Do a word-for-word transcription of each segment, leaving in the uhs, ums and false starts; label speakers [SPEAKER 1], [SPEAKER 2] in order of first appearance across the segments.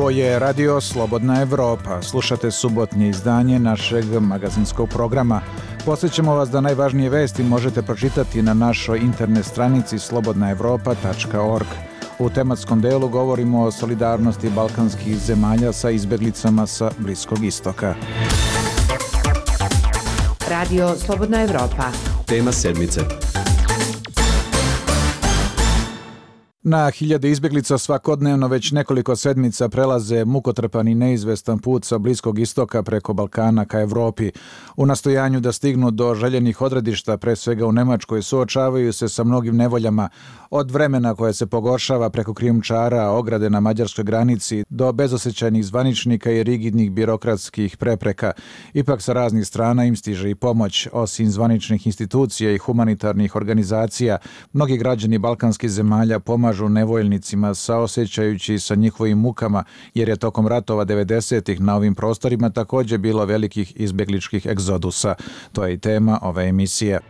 [SPEAKER 1] Ovo je Radio Slobodna Evropa. Slušate subotnje izdanje našeg magazinskog programa. Podsjećamo vas da najvažnije vesti možete pročitati na našoj internet stranici slobodna evropa tačka org. U tematskom delu govorimo o solidarnosti balkanskih zemalja sa izbjeglicama sa Bliskog istoka.
[SPEAKER 2] Radio Slobodna Evropa.
[SPEAKER 3] Tema sedmice.
[SPEAKER 1] Na hiljade izbjeglica svakodnevno već nekoliko sedmica prelaze mukotrpan i neizvestan put sa Bliskog istoka preko Balkana ka Evropi. U nastojanju da stignu do željenih odredišta, pre svega u Nemačkoj, suočavaju se sa mnogim nevoljama, od vremena koje se pogoršava preko krijumčara, ograde na mađarskoj granici, do bezosjećajnih zvaničnika i rigidnih birokratskih prepreka. Ipak sa raznih strana im stiže i pomoć. Osim zvaničnih institucija i humanitarnih organizacija, mnogi građani balkanskih zemalja pomažu nevoljnicima saosjećajući sa njihovim mukama, jer je tokom ratova devedesetih na ovim prostorima također bilo velikih izbjegličkih egzodusa. To je i tema ove emisije.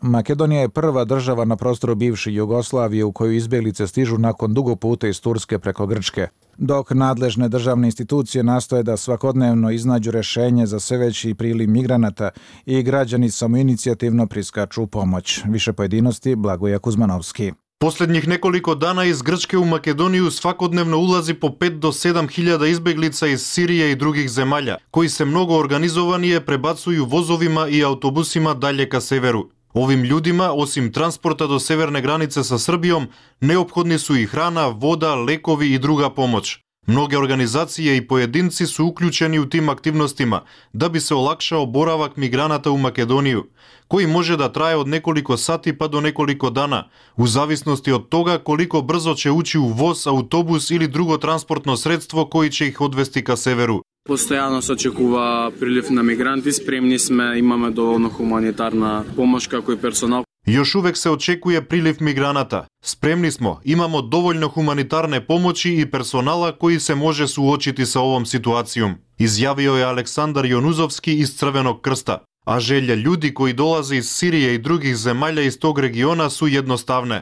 [SPEAKER 1] Makedonija je prva država na prostoru bivše Jugoslavije u koju izbjeglice stižu nakon dugog puta iz Turske preko Grčke. Dok nadležne državne institucije nastoje da svakodnevno iznađu rješenje za sve veći priliv migranata i građani samoinicijativno priskaču u pomoć. Više pojedinosti Blagoje Kuzmanovski.
[SPEAKER 4] Posljednjih nekoliko dana iz Grčke u Makedoniju svakodnevno ulazi po pet do sedam hiljada izbjeglica iz Sirije i drugih zemalja, koji se mnogo organizovanije prebacuju vozovima i autobusima dalje ka severu. Ovim ljudima, osim transporta do severne granice sa Srbijom, neophodni su i hrana, voda, lekovi i druga pomoć. Mnoge organizacije i pojedinci su uključeni u tim aktivnostima da bi se olakšao boravak migranata u Makedoniju, koji može da traje od nekoliko sati pa do nekoliko dana, u zavisnosti od toga koliko brzo će ući u voz, autobus ili drugo transportno sredstvo koji će ih odvesti ka severu.
[SPEAKER 5] Постоянно се очекува прилив на мигранти, спремни сме, имаме доволно хуманитарна помош како и персонал.
[SPEAKER 4] Još uvek se očekuje priliv migranata. Spremni smo, imamo dovoljno humanitarne pomoći i personala koji se može suočiti sa ovom situacijom, izjavio je Aleksandar Jonuzovski iz Crvenog krsta. A želje ljudi koji dolaze iz Sirije i drugih zemalja iz tog regiona su jednostavne.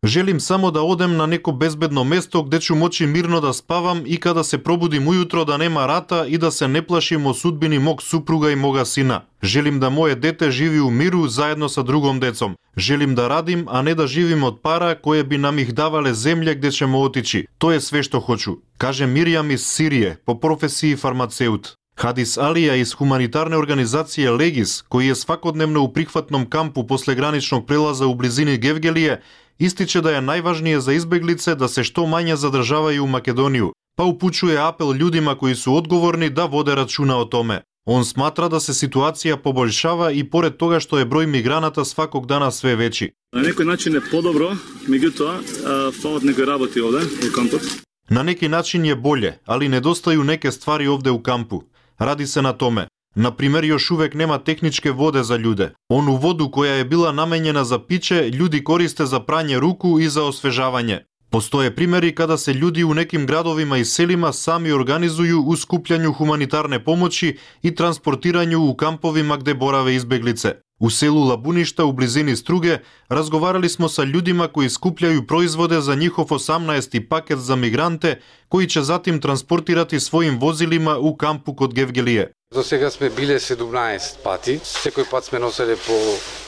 [SPEAKER 4] Želim samo da odem na neko bezbedno mesto gde ću moći mirno da spavam i kada se probudim ujutro da nema rata i da se ne plašim o sudbini mog supruga i moga sina. Želim da moje dete živi u miru zajedno sa drugom decom. Želim da radim, a ne da živim od para koje bi nam ih davale zemlje gde ćemo otići. To je sve što hoću, kaže Mirjam iz Sirije, po profesiji farmaceut. Hadis Alija iz humanitarne organizacije Legis, koji je svakodnevno u prihvatnom kampu posle graničnog prelaza u blizini Gevgelije, ističe da je najvažnije za izbjeglice da se što manje zadržavaju u Makedoniju, pa upućuje apel ljudima koji su odgovorni da vode računa o tome. On smatra da se situacija poboljšava i pored toga što je broj migranata svakog dana sve veći.
[SPEAKER 6] Na neki način je podobro, međutim, falat nekoj raboti ovde u kampu.
[SPEAKER 4] Na neki način je bolje, ali nedostaju neke stvari ovde u kampu. Radi se na tome. Na primjer, još uvek nema tehničke vode za ljude. Onu vodu koja je bila namenjena za piće, ljudi koriste za pranje ruku i za osvežavanje. Postoje primjeri kada se ljudi u nekim gradovima i selima sami organizuju u skupljanju humanitarne pomoći i transportiranju u kampovima gde borave izbjeglice. U selu Labuništa u blizini Struge razgovarali smo sa ljudima koji skupljaju proizvode za njihov osamnaesti paket za migrante, koji će zatim transportirati svojim vozilima u kampu kod Gevgelije.
[SPEAKER 7] Do сега сме биле седумнаесет пати, секој пат сме носеле по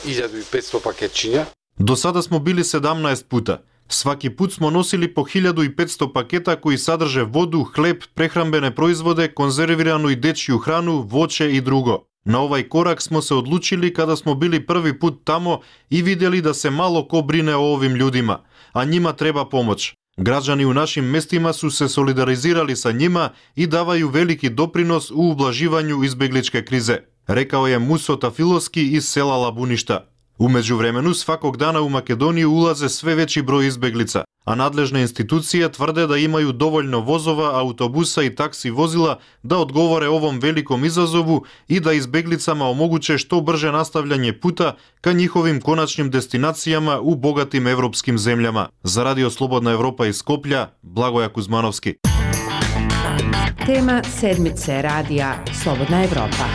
[SPEAKER 7] hiljadu i petsto paketčиња.
[SPEAKER 4] До сада smo bili sedamnaest puta. Svaki put smo nosili po hiljadu i petsto paketa koji sadrže vodu, hleb, prehrambene proizvode, konzerviranu i dečju hranu, voće i drugo. Na ovaj korak smo se odlučili kada smo bili prvi put tamo i vidjeli da se malo ko brine o ovim ljudima, a njima treba pomoć. Građani u našim mestima su se solidarizirali sa njima i davaju veliki doprinos u ublaživanju izbjegličke krize, rekao je Muso Tafilovski iz sela Labuništa. U međuvremenu svakog dana u Makedoniju ulaze sve veći broj izbjeglica, a nadležne institucije tvrde da imaju dovoljno vozova, autobusa i taksi vozila da odgovore ovom velikom izazovu i da izbjeglicama omoguće što brže nastavljanje puta ka njihovim konačnim destinacijama u bogatim evropskim zemljama. Za Radio Slobodna Evropa iz Skoplja, Blagoje Kuzmanovski.
[SPEAKER 2] Tema sedmice Radija Slobodna Evropa.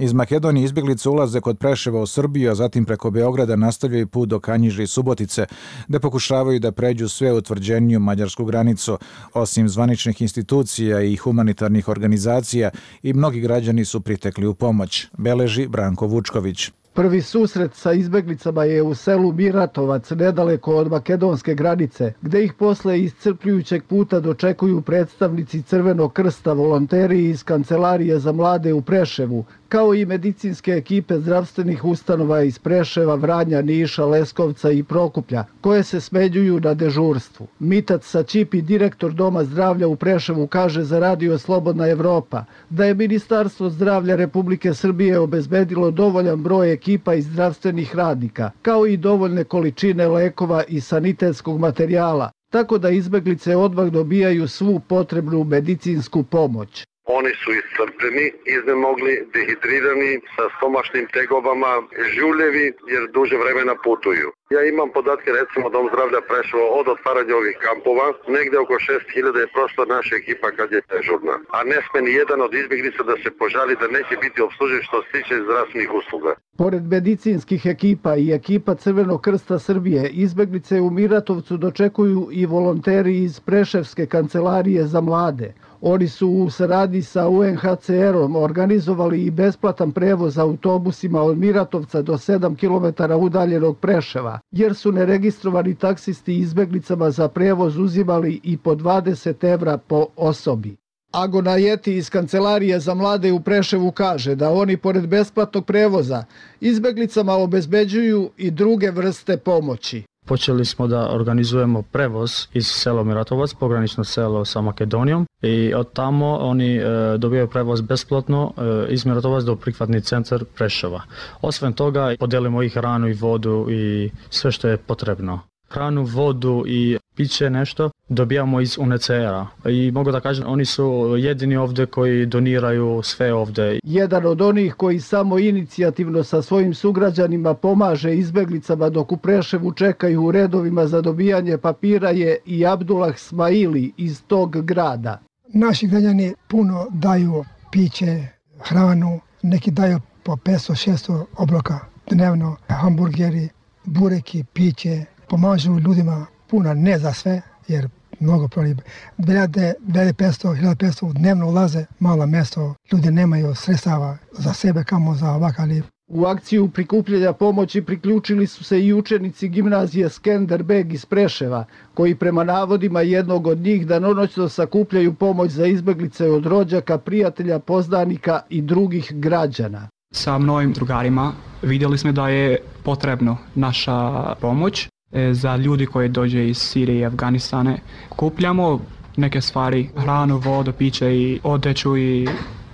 [SPEAKER 1] Iz Makedonije izbjeglice ulaze kod Preševa u Srbiju, a zatim preko Beograda nastavljaju put do Kanjiže i Subotice, gde pokušavaju da pređu sve utvrđeniju mađarsku granicu. Osim zvaničnih institucija i humanitarnih organizacija, i mnogi građani su pritekli u pomoć, beleži Branko Vučković.
[SPEAKER 3] Prvi susret sa izbeglicama je u selu Miratovac, nedaleko od makedonske granice, gde ih posle iscrpljujućeg puta dočekuju predstavnici Crvenog krsta, volonteri iz Kancelarije za mlade u Preševu, kao i medicinske ekipe zdravstvenih ustanova iz Preševa, Vranja, Niša, Leskovca i Prokuplja, koje se smenjuju na dežurstvu. Mitac Sačipi, direktor Doma zdravlja u Preševu, kaže za Radio Slobodna Evropa da je Ministarstvo zdravlja Republike Srbije obezbedilo dovoljan broj ekipa i zdravstvenih radnika, kao i dovoljne količine lekova i sanitetskog materijala, tako da izbeglice odmah dobijaju svu potrebnu medicinsku pomoć.
[SPEAKER 8] Oni su iscrpljeni, iznemogli, dehidrirani, sa stomačnim tegobama, žuljevi jer duže vremena putuju. Ja imam podatke, recimo Dom zdravlja Preševo od otvaranja ovih kampova, negde oko šest hiljada je prošla naša ekipa kad je dežurna. A ne sme ni jedan od izbjeglica da se požali da neće biti obslužen što se tiče zdravstvenih usluga. Pored
[SPEAKER 3] medicinskih ekipa i ekipa Crvenog krsta Srbije, izbjeglice u Miratovcu dočekuju i volonteri iz Preševske kancelarije za mlade. Oni su u saradnji sa U N H C R-om organizovali i besplatan prevoz autobusima od Miratovca do sedam kilometara udaljenog Preševa, jer su neregistrovani taksisti izbeglicama za prevoz uzimali i po dvadeset evra po osobi. Agona Jeti iz Kancelarije za mlade u Preševu kaže da oni pored besplatnog prevoza izbeglicama obezbeđuju i druge vrste pomoći.
[SPEAKER 9] Počeli smo da organizujemo prevoz iz sela Miratovac, pogranično selo sa Makedonijom, i od tamo oni e, dobijaju prevoz besplatno e, iz Miratovac do prihvatni centar Preševa. Osim toga podelimo i hranu i vodu i sve što je potrebno. Hranu, vodu i piće nešto dobijamo iz U N H C R-a i mogu da kažem oni su jedini ovdje koji doniraju sve ovdje.
[SPEAKER 3] Jedan od onih koji samo inicijativno sa svojim sugrađanima pomaže izbeglicama dok u Preševu čekaju u redovima za dobijanje papira je i Abdullah Smaili iz tog grada.
[SPEAKER 10] Naši građani puno daju piće, hranu, neki daju po petsto šesto obroka dnevno, hamburgeri, bureki, piće. Pomažu ljudima puno, ne za sve, jer mnogo proli. dvije petsto, hiljadu petsto dnevno ulaze, malo mjesto, ljudi nemaju sredstava za sebe kamo za ovakav.
[SPEAKER 3] U akciju prikupljanja pomoći priključili su se i učenici gimnazije Skenderbeg iz Preševa, koji prema navodima jednog od njih danonoćno sakupljaju pomoć za izbeglice od rođaka, prijatelja, poznanika i drugih građana.
[SPEAKER 11] Sa mnogim drugarima vidjeli smo da je potrebno naša pomoć za ljudi koji dođe iz Sirije i Afganistane. Kupljamo neke stvari, hranu, vodu, piće i odeću i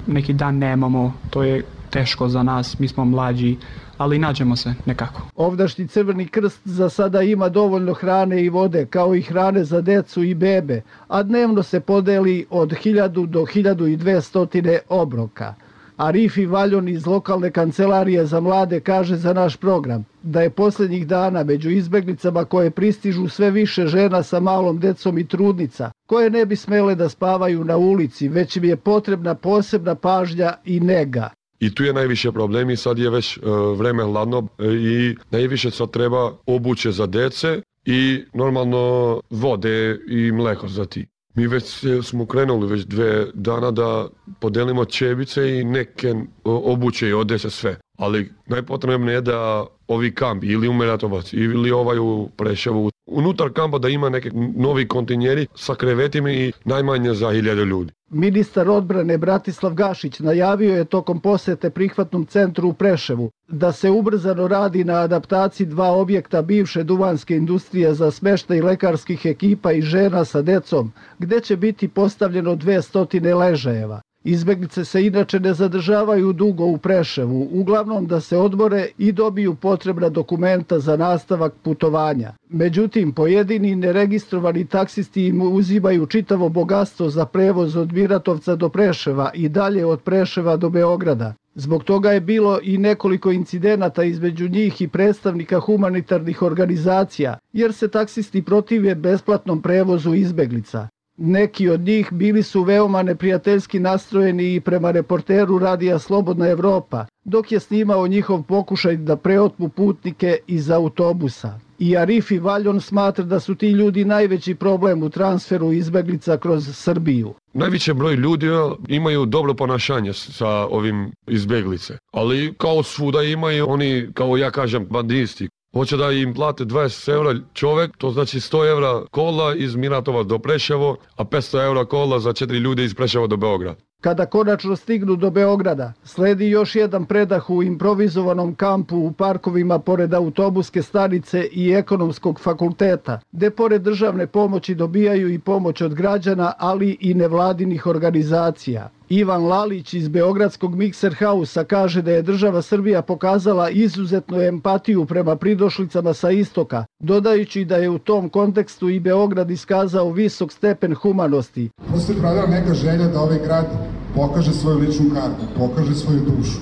[SPEAKER 11] neki dan nemamo, to je teško za nas, mi smo mlađi, ali nađemo se nekako.
[SPEAKER 3] Ovdašnji Crveni krst za sada ima dovoljno hrane i vode, kao i hrane za decu i bebe, a dnevno se podeli od hiljadu do hiljadu dvesta obroka. Arifi Valjon iz lokalne kancelarije za mlade kaže za naš program da je posljednjih dana među izbeglicama koje pristižu sve više žena sa malom decom i trudnica, koje ne bi smele da spavaju na ulici, već im je potrebna posebna pažnja i nega.
[SPEAKER 12] I tu je najviše problem i sad je već uh, vreme hladno i najviše sad treba obuće za dece i normalno vode i mleko za ti. Mi već smo krenuli već dve dana da podelimo čebice i neke obuće i odeće sve. Ali najpotrebnije je da ovi kampi ili u Miratovac ili ovaj u Preševu, unutar kampa da ima neke novi kontinjeri sa krevetima i najmanje za hiljade ljudi.
[SPEAKER 3] Ministar odbrane Bratislav Gašić najavio je tokom posete prihvatnom centru u Preševu da se ubrzano radi na adaptaciji dva objekta bivše duvanske industrije za smeštaj lekarskih ekipa i žena sa decom, gde će biti postavljeno dvesta ležajeva. Izbeglice se inače ne zadržavaju dugo u Preševu, uglavnom da se odmore i dobiju potrebna dokumenta za nastavak putovanja. Međutim, pojedini neregistrovani taksisti im uzimaju čitavo bogatstvo za prevoz od Miratovca do Preševa i dalje od Preševa do Beograda. Zbog toga je bilo i nekoliko incidenata između njih i predstavnika humanitarnih organizacija, jer se taksisti protive besplatnom prevozu izbeglica. Neki od njih bili su veoma neprijateljski nastrojeni i prema reporteru radija Slobodna Evropa, dok je snimao njihov pokušaj da preotmu putnike iz autobusa. I Arifi Valjon smatra da su ti ljudi najveći problem u transferu izbeglica kroz Srbiju.
[SPEAKER 12] Najveći broj ljudi imaju dobro ponašanje sa ovim izbeglice, ali kao svuda imaju oni, kao ja kažem, bandisti. Hoće da im plate dvadeset eura čovjek, to znači sto eura kola iz Miratovac do Preševo, a petsto eura kola za četiri ljude iz Preševa do Beograda.
[SPEAKER 3] Kada konačno stignu do Beograda, sledi još jedan predah u improvizovanom kampu u parkovima pored autobuske stanice i ekonomskog fakulteta, gde pored državne pomoći dobijaju i pomoć od građana, ali i nevladinih organizacija. Ivan Lalić iz Beogradskog Mikser Hausa kaže da je država Srbija pokazala izuzetnu empatiju prema pridošlicama sa istoka, dodajući da je u tom kontekstu i Beograd iskazao visok stepen humanosti.
[SPEAKER 13] Postoji pravila neka želja da ovaj grad pokaže svoju ličnu kartu, pokaže svoju dušu,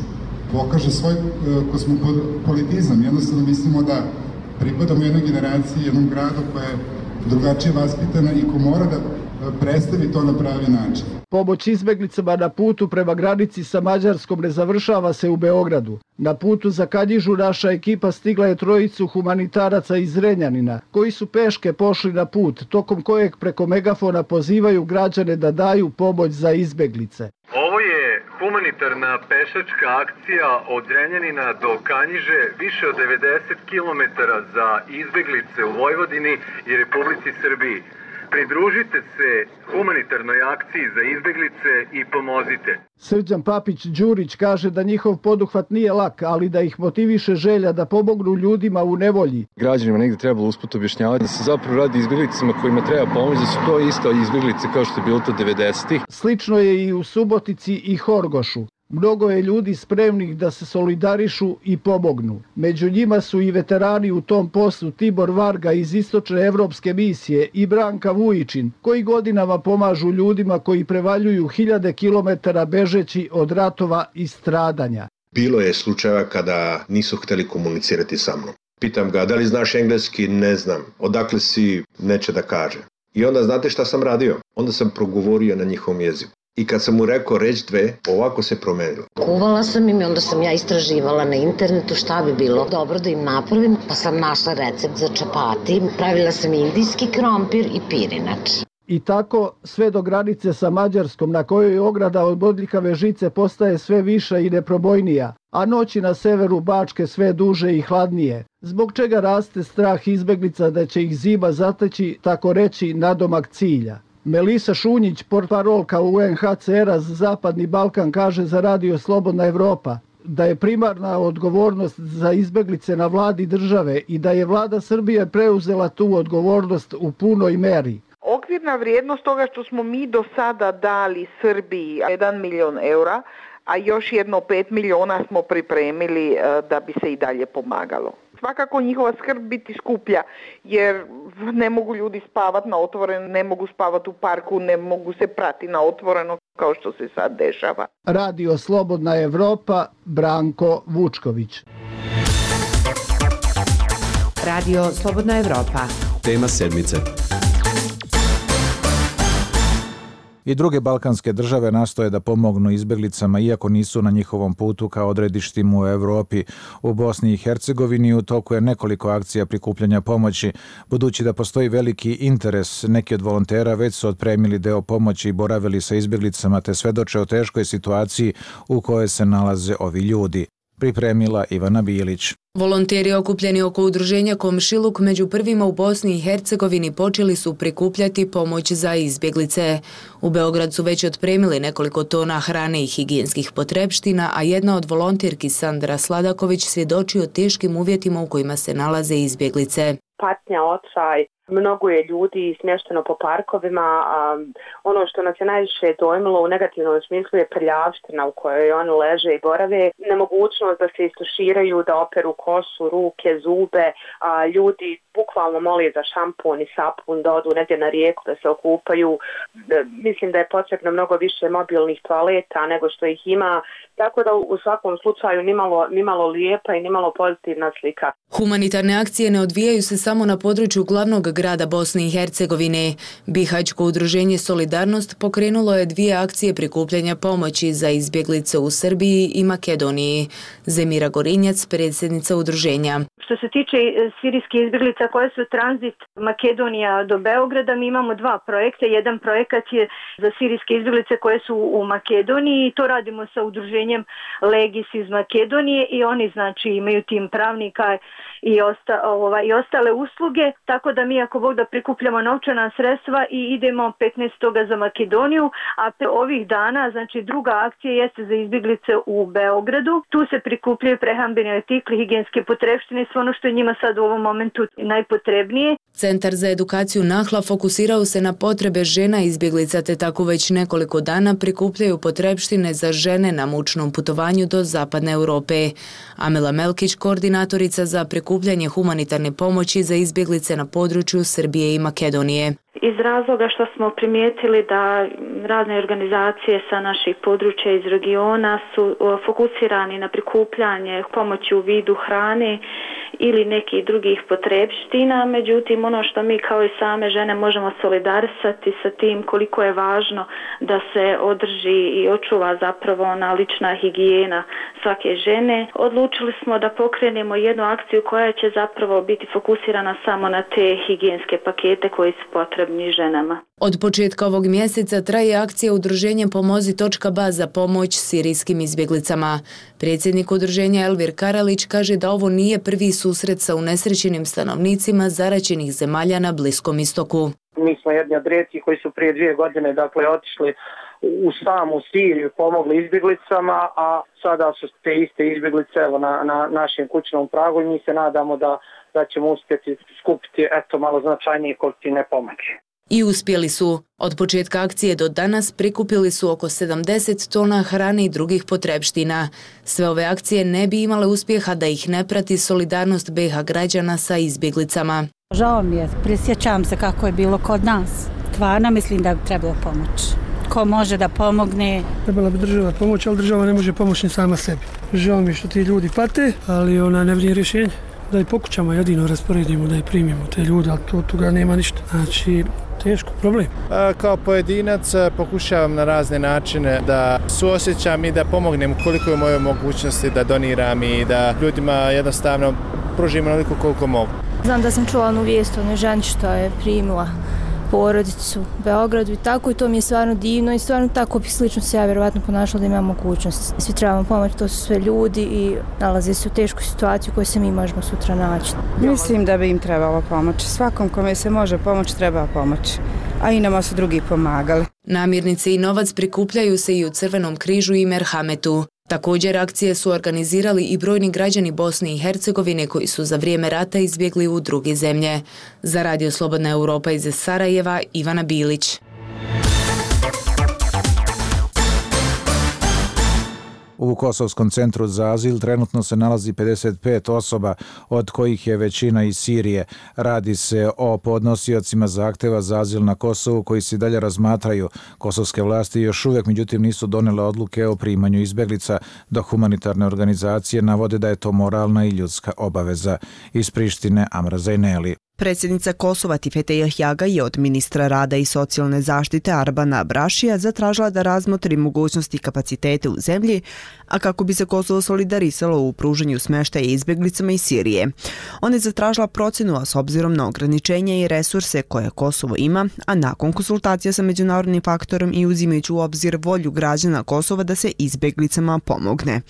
[SPEAKER 13] pokaže svoj uh, kosmopolitizam. Jednostavno mislimo da pripadamo jednoj generaciji, jednom gradu koja je drugačije vaspitana i ko mora da predstavi to na pravi način.
[SPEAKER 3] Pomoć izbeglicama na putu prema granici sa Mađarskom ne završava se u Beogradu. Na putu za Kanjižu naša ekipa stigla je trojicu humanitaraca iz Zrenjanina, koji su peške pošli na put, tokom kojeg preko megafona pozivaju građane da daju pomoć za izbeglice.
[SPEAKER 14] Ovo je humanitarna pešačka akcija od Zrenjanina do Kanjiže, više od devedeset kilometara za izbeglice u Vojvodini i Republici Srbiji. Pridružite se humanitarnoj akciji za izbeglice i pomozite.
[SPEAKER 3] Srđan Papić-Đurić kaže da njihov poduhvat nije lak, ali da ih motiviše želja da pomognu ljudima u nevolji.
[SPEAKER 15] Građanima negdje trebalo usput objašnjavati da se zapravo radi izbjeglicama kojima treba pomoći, da su to isto izbjeglice kao što je bilo to devedesetih.
[SPEAKER 3] Slično je i u Subotici i Horgošu. Mnogo je ljudi spremnih da se solidarišu i pomognu. Među njima su i veterani u tom poslu Tibor Varga iz Istočne evropske misije i Branka Vujičin, koji godinama pomažu ljudima koji prevaljuju hiljade kilometara bežeći od ratova i stradanja.
[SPEAKER 16] Bilo je slučajeva kada nisu htjeli komunicirati sa mnom. Pitam ga, da li znaš engleski? Ne znam. Odakle si? Neće da kaže. I onda znate šta sam radio? Onda sam progovorio na njihovom jeziku. I kad sam mu rekao reč dve, ovako se promenilo.
[SPEAKER 17] Kuvala sam im i onda sam ja istraživala na internetu šta bi bilo dobro da im napravim, pa sam našla recept za čapati. Pravila sam indijski krompir i pirinač.
[SPEAKER 3] I tako sve do granice sa Mađarskom, na kojoj ograda od bodljikave žice postaje sve viša i neprobojnija, a noći na severu Bačke sve duže i hladnije, zbog čega raste strah izbeglica da će ih zima zateći, tako reći, nadomak cilja. Melisa Šunjić, portparolka U N H C R-a za Zapadni Balkan, kaže za radio Slobodna Evropa da je primarna odgovornost za izbeglice na vladi države i da je vlada Srbije preuzela tu odgovornost u punoj meri.
[SPEAKER 18] Okvirna vrijednost toga što smo mi do sada dali Srbiji jedan milion eura, a još jedno pet miliona smo pripremili da bi se i dalje pomagalo. Svakako njihova skrb biti skuplja, jer ne mogu ljudi spavati na otvoreno, ne mogu spavati u parku, ne mogu se prati na otvoreno kao što se sad dešava.
[SPEAKER 3] Radio Slobodna Evropa, Branko Vučković.
[SPEAKER 2] Radio Slobodna Evropa.
[SPEAKER 19] Tema sedmice.
[SPEAKER 1] I druge balkanske države nastoje da pomognu izbjeglicama iako nisu na njihovom putu kao odredištima u Evropi. U Bosni i Hercegovini u toku je nekoliko akcija prikupljanja pomoći. Budući da postoji veliki interes, neki od volontera već su otpremili deo pomoći i boravili sa izbjeglicama te svedoče o teškoj situaciji u kojoj se nalaze ovi ljudi. Pripremila Ivana Bilić.
[SPEAKER 20] Volonteri okupljeni oko udruženja Komšiluk među prvima u Bosni i Hercegovini počeli su prikupljati pomoć za izbjeglice. U Beograd su već otpremili nekoliko tona hrane i higijenskih potrepština, a jedna od volonterki Sandra Sladaković svjedoči o teškim uvjetima u kojima se nalaze izbjeglice.
[SPEAKER 21] Patnja, očaj, mnogo je ljudi smješteno po parkovima, a ono što nas je najviše dojmilo u negativnom smislu je prljavština u kojoj oni leže i borave, nemogućnost da se istuširaju, da operu kosu, ruke, zube, a ljudi bukvalno moli za šampun i sapun, da odu negdje na rijeku, da se okupaju. Mislim da je potrebno mnogo više mobilnih toaleta nego što ih ima, tako da u svakom slučaju nimalo, nimalo lijepa i nimalo pozitivna slika.
[SPEAKER 20] Humanitarne akcije ne odvijaju se samo samo na području glavnog grada Bosne i Hercegovine. Bihaćko udruženje Solidarnost pokrenulo je dvije akcije prikupljanja pomoći za izbjeglice u Srbiji i Makedoniji. Zemira Gorinjac, predsjednica udruženja.
[SPEAKER 19] Što se tiče sirijskih izbjeglica koje su tranzit Makedonija do Beograda, mi imamo dva projekta. Jedan projekat je za sirijske izbjeglice koje su u Makedoniji i to radimo sa udruženjem Legis iz Makedonije i oni znači imaju tim pravnika i, osta, ova, i ostale usluge, tako da mi ako Bog da prikupljamo novčana sredstva i idemo petnaestog za Makedoniju, a ovih dana znači druga akcija jeste za izbjeglice u Beogradu. Tu se prikupljaju prehrambeni artikli, higijenske potrepštine, sve ono što je njima sad u ovom momentu najpotrebnije.
[SPEAKER 20] Centar za edukaciju Nahla fokusirao se na potrebe žena izbjeglica te tako već nekoliko dana prikupljaju potrepštine za žene na mučnom putovanju do zapadne Europe. Amela Melkić, koordinatorica za prikupljanje humanitarne pomoći za izbjeglice na području Srbije i Makedonije.
[SPEAKER 22] Iz razloga što smo primijetili da razne organizacije sa naših područja iz regiona su fokusirani na prikupljanje pomoći u vidu hrane ili nekih drugih potrepština, međutim ono što mi kao i same žene možemo solidarisati sa tim koliko je važno da se održi i očuva zapravo ona lična higijena svake žene, odlučili smo da pokrenemo jednu akciju koja će zapravo biti fokusirana samo na te higijenske pakete koji su potrebni ženama.
[SPEAKER 20] Od početka ovog mjeseca traje akcija udruženja Pomozi točka ba za pomoć sirijskim izbjeglicama. Predsjednik udruženja Elvir Karalić kaže da ovo nije prvi susret sa unesrećenim stanovnicima zaraćenih zemalja na Bliskom istoku.
[SPEAKER 23] Mi smo jedni od rijetkih koji su prije dvije godine dakle otišli u samu Siriju, pomogli izbjeglicama, a sada su te iste izbjeglice evo, na, na našem kućnom pragu i mi se nadamo da, da ćemo uspjeti skupiti eto, malo značajnije količine pomoći.
[SPEAKER 20] I uspjeli su. Od početka akcije do danas prikupili su oko sedamdeset tona hrane i drugih potrepština. Sve ove akcije ne bi imale uspjeha da ih ne prati solidarnost be ha građana sa izbjeglicama.
[SPEAKER 24] Žao mi je, prisjećam se kako je bilo kod nas. Stvarno mislim da bi trebalo pomoći. Ko može da pomogne?
[SPEAKER 25] Trebala bi država pomoći, ali država ne može pomoći ni sama sebi. Žao mi je što ti ljudi pate, ali ona ne vidi rješenje. Da i pokućama jedino rasporedimo, da i primimo te ljude, ali to toga nema ništa. Znači, teško, problem.
[SPEAKER 26] Kao pojedinac pokušavam na razne načine da suosjećam i da pomognem koliko je moje mogućnosti da doniram i da ljudima jednostavno pružim onoliko koliko mogu.
[SPEAKER 27] Znam da sam čula onu vijest o onoj ženi što je primila porodicu u Beogradu i tako i to mi je stvarno divno i stvarno tako bi slično se ja vjerovatno ponašala da imam mogućnost. Svi trebamo pomoći, to su sve ljudi i nalaze se u teškoj situaciji u kojoj se mi možemo sutra naći.
[SPEAKER 28] Mislim da bi im trebalo pomoći. Svakom kome se može pomoći treba pomoći, a i nama su drugi pomagali.
[SPEAKER 20] Namirnice i novac prikupljaju se i u Crvenom križu i Merhametu. Također akcije su organizirali i brojni građani Bosne i Hercegovine koji su za vrijeme rata izbjegli u druge zemlje. Za Radio Slobodna Europa iz Sarajeva, Ivana Bilić.
[SPEAKER 1] U Kosovskom centru za azil trenutno se nalazi pedeset pet osoba, od kojih je većina iz Sirije. Radi se o podnosiocima zahtjeva za azil na Kosovu koji se dalje razmatraju. Kosovske vlasti još uvijek međutim nisu donele odluke o primanju izbjeglica, dok humanitarne organizacije navode da je to moralna i ljudska obaveza. Iz Prištine, Amra Zajneli.
[SPEAKER 29] Predsjednica Kosova Tifete Jahjaga je od ministra rada i socijalne zaštite Arbana Brašija zatražila da razmotri mogućnosti i kapacitete u zemlji, a kako bi se Kosovo solidarisalo u pružanju smještaja izbjeglicama iz Sirije. Ona je zatražila procjenu, a s obzirom na ograničenja i resurse koje Kosovo ima, a nakon konsultacija sa međunarodnim faktorom i uzimajući u obzir volju građana Kosova da se izbjeglicama pomogne.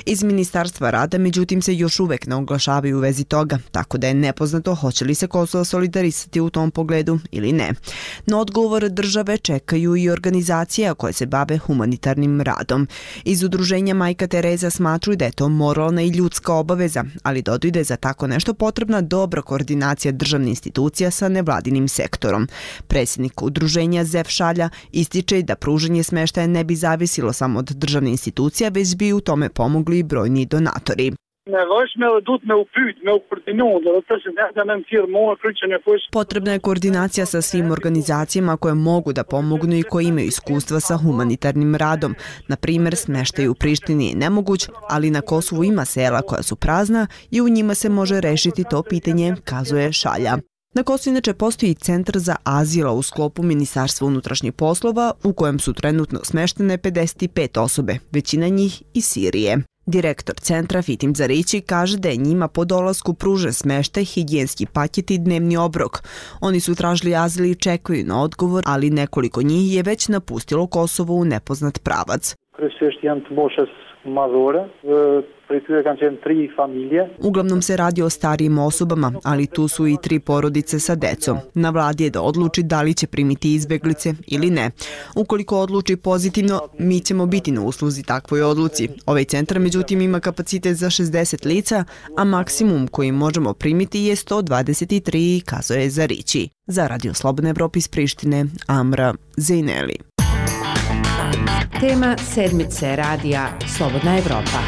[SPEAKER 29] Iz Ministarstva rada, međutim, se još uvek ne oglašavaju u vezi toga, tako da je nepoznato hoće li se Kosovo solidarisati u tom pogledu ili ne. No odgovor države čekaju i organizacije koje se bave humanitarnim radom. Iz udruženja Majka Tereza smatruju da je to moralna i ljudska obaveza, ali dodaju da je za tako nešto potrebna dobra koordinacija državnih institucija sa nevladinim sektorom. Predsjednik udruženja Zef Šalja ističe da pružanje smještaja ne bi zavisilo samo od državnih institucija, već bi u tome pomogli i brojni donatori. Potrebna je koordinacija sa svim organizacijama koje mogu da pomognu i koje imaju iskustva sa humanitarnim radom. Na primjer, smeštaj u Prištini je nemoguć, ali na Kosovu ima sela koja su prazna i u njima se može rešiti to pitanje, kazuje Šalja. Na Kosovu inače postoji centar za azila u sklopu Ministarstva unutrašnjih poslova u kojem su trenutno smeštene pedeset pet osobe, većina njih iz Sirije. Direktor centra Fitim Zarići kaže da je njima po dolasku pružen smeštaj, higijenski paket i dnevni obrok. Oni su tražili azil i čekaju na odgovor, ali nekoliko njih je već napustilo Kosovo u nepoznat pravac. Uglavnom se radi o starijim osobama, ali tu su i tri porodice sa decom. Na vladi je da odluči da li će primiti izbeglice ili ne. Ukoliko odluči pozitivno, mi ćemo biti na usluzi takvoj odluci. Ovaj centar međutim ima kapacitet za šezdeset lica, a maksimum koji možemo primiti je sto dvadeset tri, kazuje Zarići. Za Radio Slobodna Evropa iz Prištine, Amra Zejneli.
[SPEAKER 2] Tema sedmice radija Slobodna Evropa.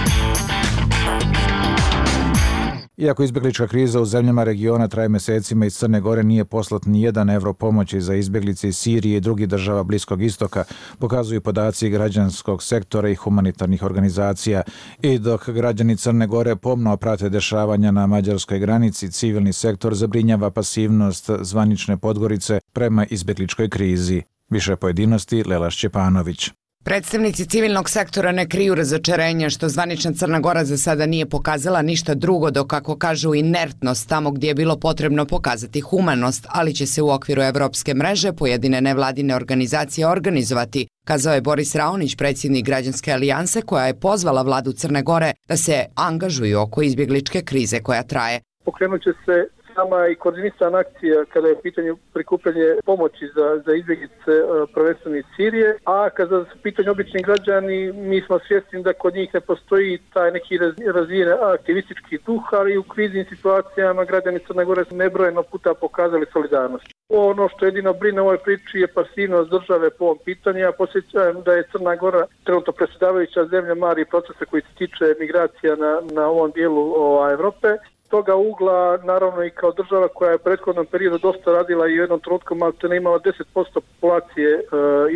[SPEAKER 1] Iako izbjeglička kriza u zemljama regiona traje mesecima, iz Crne Gore nije poslat ni jedan evro pomoći za izbjeglice iz Sirije i drugih država Bliskog istoka, pokazuju podaci građanskog sektora i humanitarnih organizacija. I dok građani Crne Gore pomno prate dešavanja na mađarskoj granici, civilni sektor zabrinjava pasivnost zvanične Podgorice prema izbjegličkoj krizi. Više pojedinosti Lela Šćepanović.
[SPEAKER 4] Predstavnici civilnog sektora ne kriju razočarenja što zvanična Crna Gora za sada nije pokazala ništa drugo do, kako kažu, inertnost tamo gdje je bilo potrebno pokazati humanost, ali će se u okviru evropske mreže pojedine nevladine organizacije organizovati, kazao je Boris Raonić, predsjednik Građanske alijanse, koja je pozvala vladu Crne Gore da se angažuju oko izbjegličke krize koja traje.
[SPEAKER 5] Pokrenut će se sama i koordinisana akcija kada je u pitanju prikupljanje pomoći za, za izbjeglice prvenstveno iz Sirije, a kada su u pitanju obični građani, mi smo svjesni da kod njih ne postoji taj neki razvijen aktivistički duh, ali u kriznim situacijama građani Crne Gore su nebrojeno puta pokazali solidarnost. Ono što jedino brine u ovoj priči je pasivnost države po ovom pitanju. Ja posjećam da je Crna Gora trenutno predsjedavajuća zemlja mari procesa koji se tiče migracija na, na ovom dijelu ova, Evrope. Toga ugla, naravno i kao država koja je u prethodnom periodu dosta radila i u jednom trenutku malte ne imala deset posto populacije e,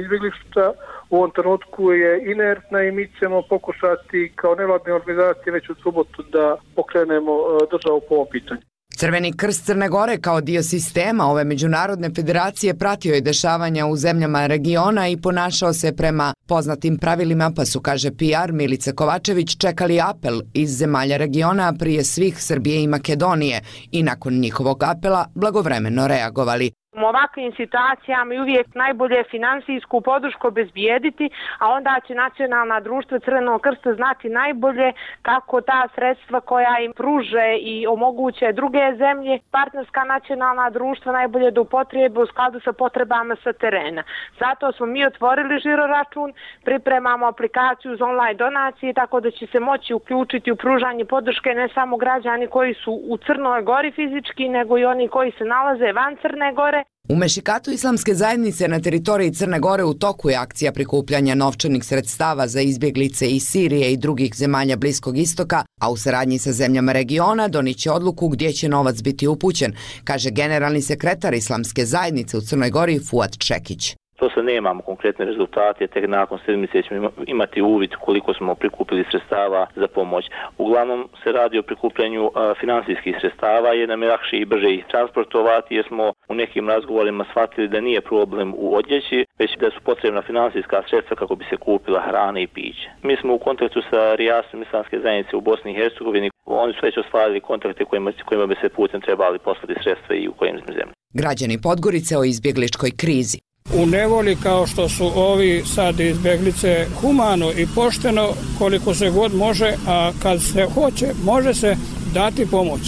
[SPEAKER 5] izbjeglišta, u ovom trenutku je inertna i mi ćemo pokušati kao nevladne organizacije već u subotu da pokrenemo e, državu po ovom pitanju.
[SPEAKER 4] Crveni krst Crne Gore kao dio sistema ove međunarodne federacije pratio je dešavanja u zemljama regiona i ponašao se prema poznatim pravilima, pa su, kaže P R Milica Kovačević, čekali apel iz zemalja regiona prije svih Srbije i Makedonije i nakon njihovog apela blagovremeno reagovali.
[SPEAKER 6] U ovakvim situacijama je uvijek najbolje finansijsku podršku obezbijediti, a onda će nacionalna društva Crvenog krsta znati najbolje kako ta sredstva koja im pruže i omoguće druge zemlje, partnerska nacionalna društva najbolje da upotrijebe u skladu sa potrebama sa terena. Zato smo mi otvorili žiro račun, pripremamo aplikaciju za online donacije, tako da će se moći uključiti u pružanje podrške ne samo građani koji su u Crnoj Gori fizički, nego i oni koji se nalaze van Crne Gore.
[SPEAKER 4] U Mešikatu islamske zajednice na teritoriji Crne Gore u toku je akcija prikupljanja novčanih sredstava za izbjeglice iz Sirije i drugih zemalja Bliskog istoka, a u saradnji sa zemljama regiona doniće odluku gdje će novac biti upućen, kaže generalni sekretar islamske zajednice u Crnoj Gori Fuad Čekić.
[SPEAKER 7] To se nemamo konkretne rezultate, tek nakon sedmice ćemo imati uvid koliko smo prikupili sredstava za pomoć. Uglavnom se radi o prikupljanju a, finansijskih sredstava, jer nam je lakše i brže ih transportovati, jer smo u nekim razgovorima shvatili da nije problem u odjeći, već da su potrebna finansijska sredstva kako bi se kupila hrana i piće. Mi smo u kontaktu sa Rijasom islamske zajednice u Bosni i Hercegovini, oni su već ostvarili kontakte kojima, kojima bi se putem trebali poslati sredstva i u kojim zemljama.
[SPEAKER 4] Građani Podgorice o izbjegličkoj krizi.
[SPEAKER 25] U nevoli kao što su ovi sad izbjeglice, humano i pošteno koliko se god može, a kad se hoće može se dati pomoć.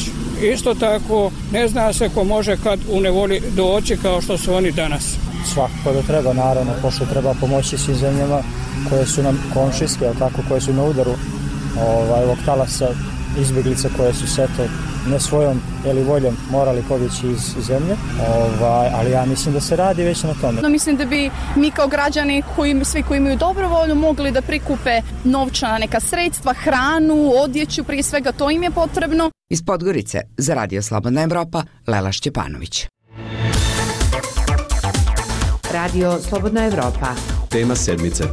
[SPEAKER 25] Isto tako ne zna se ko može kad u nevoli doći kao što su oni danas.
[SPEAKER 8] Svakako da treba, naravno, pošto treba pomoći svim zemljama koje su nam komšijske, tako, koje su na udaru ovaj, ovog talasa izbjeglica koje su se to ne svojom ili voljom morali pobjeći iz zemlje, ovaj, ali ja mislim da se radi već na tome.
[SPEAKER 9] No, mislim da bi mi kao građani, koji, svi koji imaju dobrovolju, mogli da prikupe novčana neka sredstva, hranu, odjeću, prije svega to im je potrebno.
[SPEAKER 4] Iz Podgorice za Radio Slobodna Evropa, Lela Šćepanović.
[SPEAKER 2] Radio Slobodna Evropa.
[SPEAKER 10] Tema sedmice.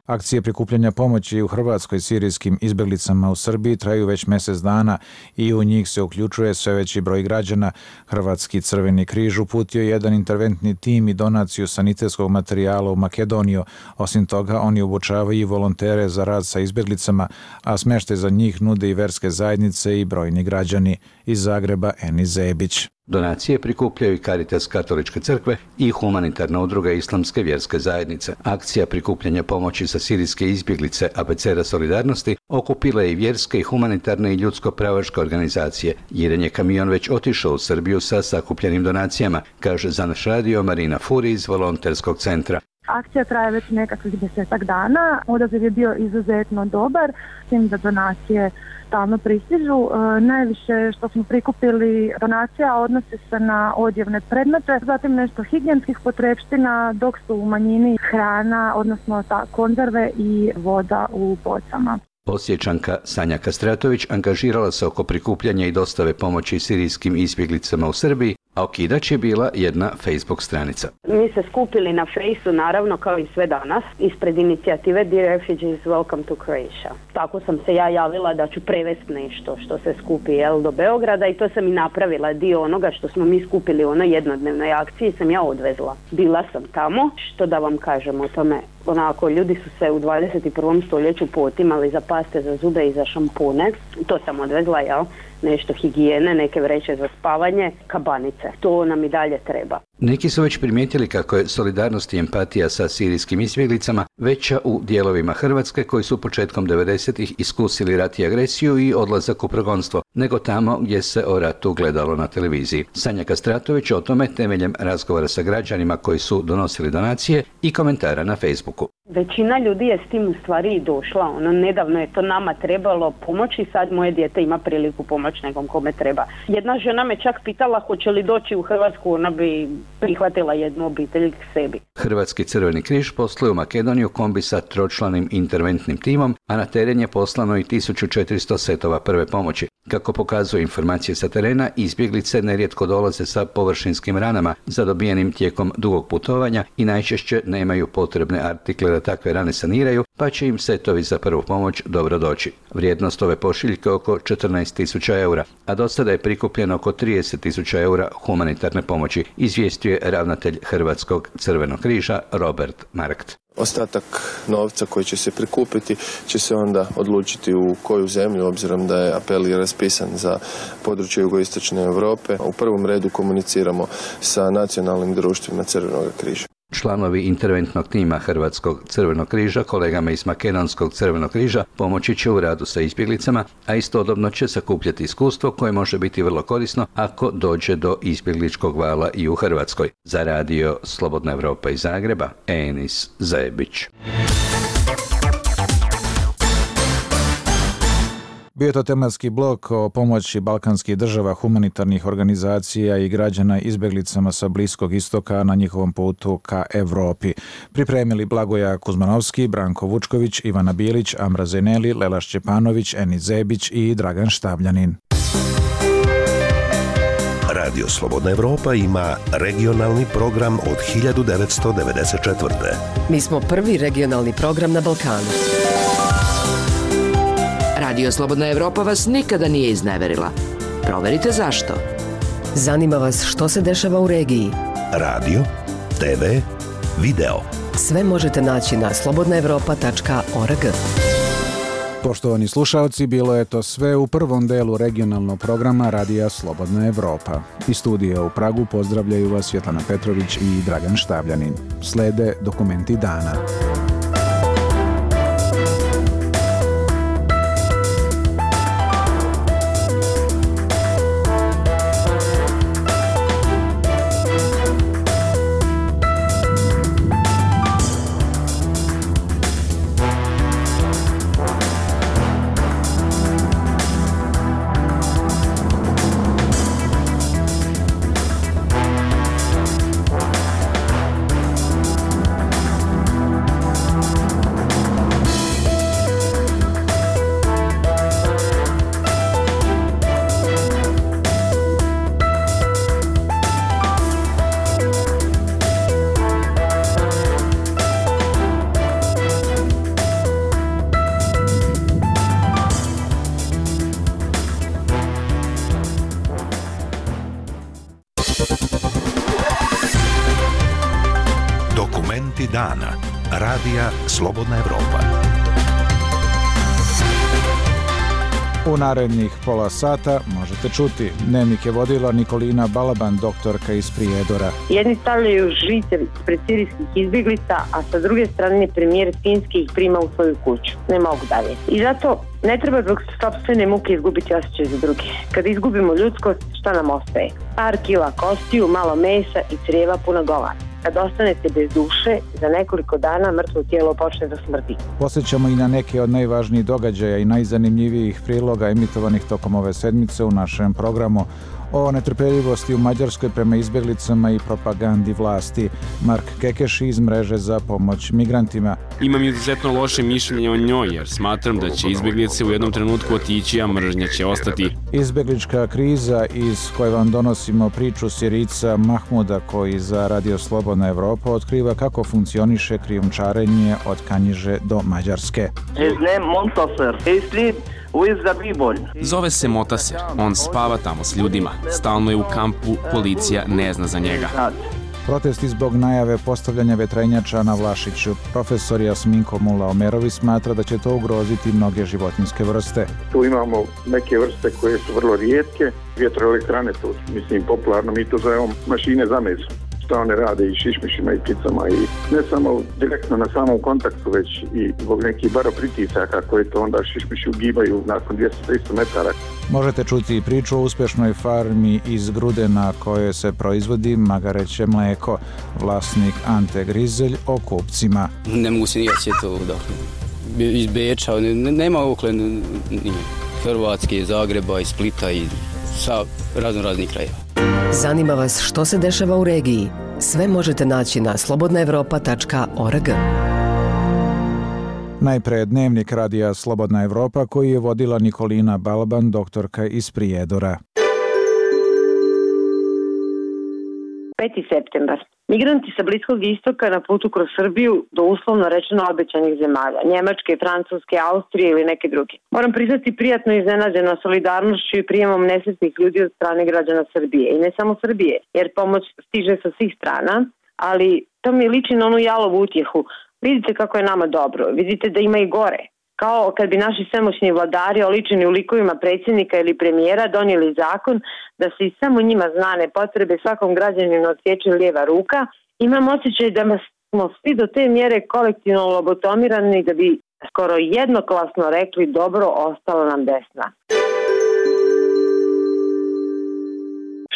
[SPEAKER 1] Akcije prikupljanja pomoći u Hrvatskoj sirijskim izbjeglicama u Srbiji traju već mjesec dana i u njih se uključuje sve veći broj građana. Hrvatski Crveni križ uputio jedan interventni tim i donaciju sanitetskog materijala u Makedoniju. Osim toga, oni obučavaju i volontere za rad sa izbjeglicama, a smještaj za njih nude i verske zajednice i brojni građani. Iz Zagreba, Enis Zebić.
[SPEAKER 11] Donacije prikupljaju i Caritas Katoličke crkve i humanitarna udruga Islamske vjerske zajednice. Akcija prikupljanja pomoći za sirijske izbjeglice Abeceda solidarnosti okupila je i vjerske i humanitarne i ljudsko-pravaške organizacije. Jedan je kamion već otišao u Srbiju sa sakupljenim donacijama, kaže za naš radio Marina Furi iz volonterskog centra.
[SPEAKER 12] Akcija traje već nekakvih desetak dana. Odaziv je bio izuzetno dobar, s tim da donacije stalno pristižu. E, najviše što smo prikupili donacija odnosi se na odjevne predmete, zatim nešto higijenskih potrepština, dok su u manjini hrana, odnosno ta konzerve i voda u bocama.
[SPEAKER 11] Osječanka Sanja Kastratović angažirala se oko prikupljanja i dostave pomoći sirijskim izbjeglicama u Srbiji, a okidač je bila jedna Facebook stranica.
[SPEAKER 13] Mi se skupili na Fejsu, naravno kao i sve danas, ispred inicijative Dear Refugees Welcome to Croatia. Tako sam se ja javila da ću prevesti nešto što se skupi jel, do Beograda i to sam i napravila. Dio onoga što smo mi skupili u onoj jednodnevnoj akciji sam ja odvezla. Bila sam tamo, što da vam kažem o tome. Onako, ljudi su se u dvadeset i prvom stoljeću potimali za paste, za zube i za šampune. To sam odvezla, jel? Nešto higijene, neke vreće za spavanje, kabanice. To nam i dalje treba.
[SPEAKER 11] Neki su već primijetili kako je solidarnost i empatija sa sirijskim izbjeglicama veća u dijelovima Hrvatske koji su početkom devedesetih iskusili rat i agresiju i odlazak u progonstvo, nego tamo gdje se o ratu gledalo na televiziji. Sanja Kastratović o tome temeljem razgovora sa građanima koji su donosili donacije i komentara na Facebooku.
[SPEAKER 13] Većina ljudi je s tim u stvari i došla. Ono, nedavno je to nama trebalo pomoći, sad moje dijete ima priliku pomoći nekom kome treba. Jedna žena me čak pitala hoće li doći u Hrvatsku, ona bi prihvatila jednu obitelj k sebi.
[SPEAKER 11] Hrvatski Crveni križ posluje u Makedoniju kombi sa tročlanim interventnim timom, a na teren je poslano i tisuću četiristo setova prve pomoći. Kako pokazuju informacije sa terena, izbjeglice nerijetko dolaze sa površinskim ranama zadobijenim tijekom dugog putovanja i najčešće nemaju potrebne artikle da takve rane saniraju, pa će im setovi za prvu pomoć dobro doći. Vrijednost ove pošiljke oko četrnaest tisuća eura, a do sada je prikupljeno oko trideset tisuća eura humanitarne pomoći, izvijestio je ravnatelj Hrvatskog Crvenog križa Robert Markt.
[SPEAKER 14] Ostatak novca koji će se prikupiti će se onda odlučiti u koju zemlju, obzirom da je apel raspisan za područje jugoistočne Europe. U prvom redu komuniciramo sa nacionalnim društvima Crvenog križa.
[SPEAKER 11] Članovi interventnog tima Hrvatskog Crvenog križa, kolegama iz Makedonskog Crvenog križa, pomoći će u radu sa izbjeglicama, a istodobno će sakupljati iskustvo koje može biti vrlo korisno ako dođe do izbjegličkog vala i u Hrvatskoj. Za radio Slobodna Evropa iz Zagreba, Enis Zebić.
[SPEAKER 1] Bio je to tematski blok o pomoći balkanskih država, humanitarnih organizacija i građana izbjeglicama sa Bliskog istoka na njihovom putu ka Evropi. Pripremili Blagoja Kuzmanovski, Branko Vučković, Ivana Bilić, Amra Zeneli, Lela Šćepanović, Enis Zebić i Dragan Štabljanin.
[SPEAKER 15] Radio Slobodna Evropa ima regionalni program od hiljadu devetsto devedeset četvrte.
[SPEAKER 2] Mi smo prvi regionalni program na Balkanu. Radio Slobodna Evropa vas nikada nije izneverila. Proverite zašto. Zanima vas što se dešava u regiji.
[SPEAKER 15] Radio, te ve, video.
[SPEAKER 2] Sve možete naći na slobodna evropa tačka org.
[SPEAKER 1] Poštovani slušalci, bilo je to sve u prvom delu regionalnog programa Radija Slobodna Evropa. Iz studija u Pragu pozdravljaju vas Svetlana Petrović i Dragan Štabljanin. Slede dokumenti dana.
[SPEAKER 15] Vijesti dana. Radija Slobodna Evropa.
[SPEAKER 1] U narednih pola sata možete čuti. Dnevnik je vodila Nikolina Balaban, doktorka iz Prijedora.
[SPEAKER 3] Jedni stavljaju žice pred sirijskih izbjeglica, a sa druge strane premijer Finski ih prima u svoju kuću. Ne mogu dalje. I zato ne treba zbog sopstvene muke izgubiti osjećaj za druge. Kada izgubimo ljudskost, šta nam ostaje? Par kila kostiju, malo mesa i crijeva puna govana. Kad ostanete bez duše, za nekoliko dana mrtvo tijelo počne da smrdi.
[SPEAKER 1] Posjećamo i na neke od najvažnijih događaja i najzanimljivijih priloga emitovanih tokom ove sedmice u našem programu. O netrpeljivosti u Mađarskoj prema izbjeglicama i propagandi vlasti. Mark Kekeš iz mreže za pomoć migrantima.
[SPEAKER 10] Imam izuzetno loše mišljenje o njoj jer smatram da će izbjeglice u jednom trenutku otići, a mržnja će ostati.
[SPEAKER 1] Izbjeglička kriza iz koje vam donosimo priču Sirica Mahmuda koji za Radio Slobodna Evropa otkriva kako funkcioniše krijumčarenje od Kanjiže do Mađarske.
[SPEAKER 16] His name Montaser. He sleep with the people.
[SPEAKER 10] Zove se Motaser. On spava tamo s ljudima. Stalno je u kampu, policija ne zna za njega.
[SPEAKER 1] Protesti zbog najave postavljanja vetrenjača na Vlašiću. Profesor Jasminko Mula-Omerović smatra da će to ugroziti mnoge životinjske vrste.
[SPEAKER 17] Tu imamo neke vrste koje su vrlo rijetke. Vjetroelektrane, to mislim popularno, mi to zovemo mašine za meso. Šta one rade i šišmišima i pticama i ne samo direktno na samom kontaktu, već i zbog nekih baropritisaka koje to onda šišmiši ugibaju nakon dvjesto do tristo metara.
[SPEAKER 1] Možete čuti i priču o uspješnoj farmi iz Grude na kojoj se proizvodi magareće mlijeko. Vlasnik Ante Grizelj o kupcima.
[SPEAKER 18] Ne mogu se nikad sjetiti ovog iz Beča, nema okle ni Hrvatske, iz Zagreba, iz Splita i sa razno raznih krajeva.
[SPEAKER 2] Zanima vas što se dešava u regiji? Sve možete naći na slobodna evropa tačka org.
[SPEAKER 1] Najpre dnevnik radija Slobodna Evropa koji je vodila Nikolina Balaban, doktorka iz Prijedora.
[SPEAKER 3] peti septembar. Migranti sa Bliskog istoka na putu kroz Srbiju do uslovno rečeno obećanih zemalja, Njemačke, Francuske, Austrije ili neke druge. Moram priznati prijatno iznenađena solidarnošću i prijemom nesretnih ljudi od strane građana Srbije. I ne samo Srbije, jer pomoć stiže sa svih strana, ali to mi liči na onu jalovu utjehu. Vidite kako je nama dobro, vidite da ima i gore. Kao kad bi naši svemoćni vladari oličeni u likovima predsjednika ili premijera donijeli zakon da se i samo njima znane potrebe svakom građaninu odsječe lijeva ruka, imam osjećaj da smo svi do te mjere kolektivno lobotomirani da bi skoro jednoglasno rekli dobro, ostalo nam desna.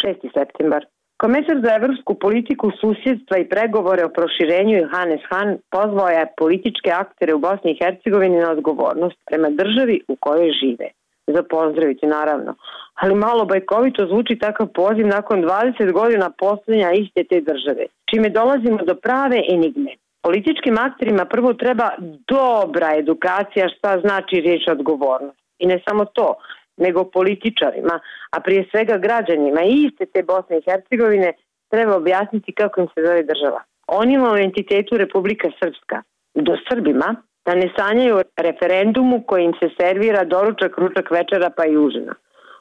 [SPEAKER 3] šesti septembar. Komesar za evropsku politiku, susjedstva i pregovore o proširenju Johannes Hahn pozvao je političke aktere u Bosni i Hercegovini na odgovornost prema državi u kojoj žive. Za pozdraviti, naravno. Ali malo bajkovito zvuči takav poziv nakon dvadeset godina postojanja iste te države, čime dolazimo do prave enigme. Političkim akterima prvo treba dobra edukacija šta znači riječ odgovornost. I ne samo to, nego političarima, a prije svega građanima i iste te Bosne i Hercegovine treba objasniti kako im se zove država. Onima u entitetu Republika Srpska, do Srbima, da ne sanjaju referendumu koji im se servira doručak, ručak, večera pa i užina.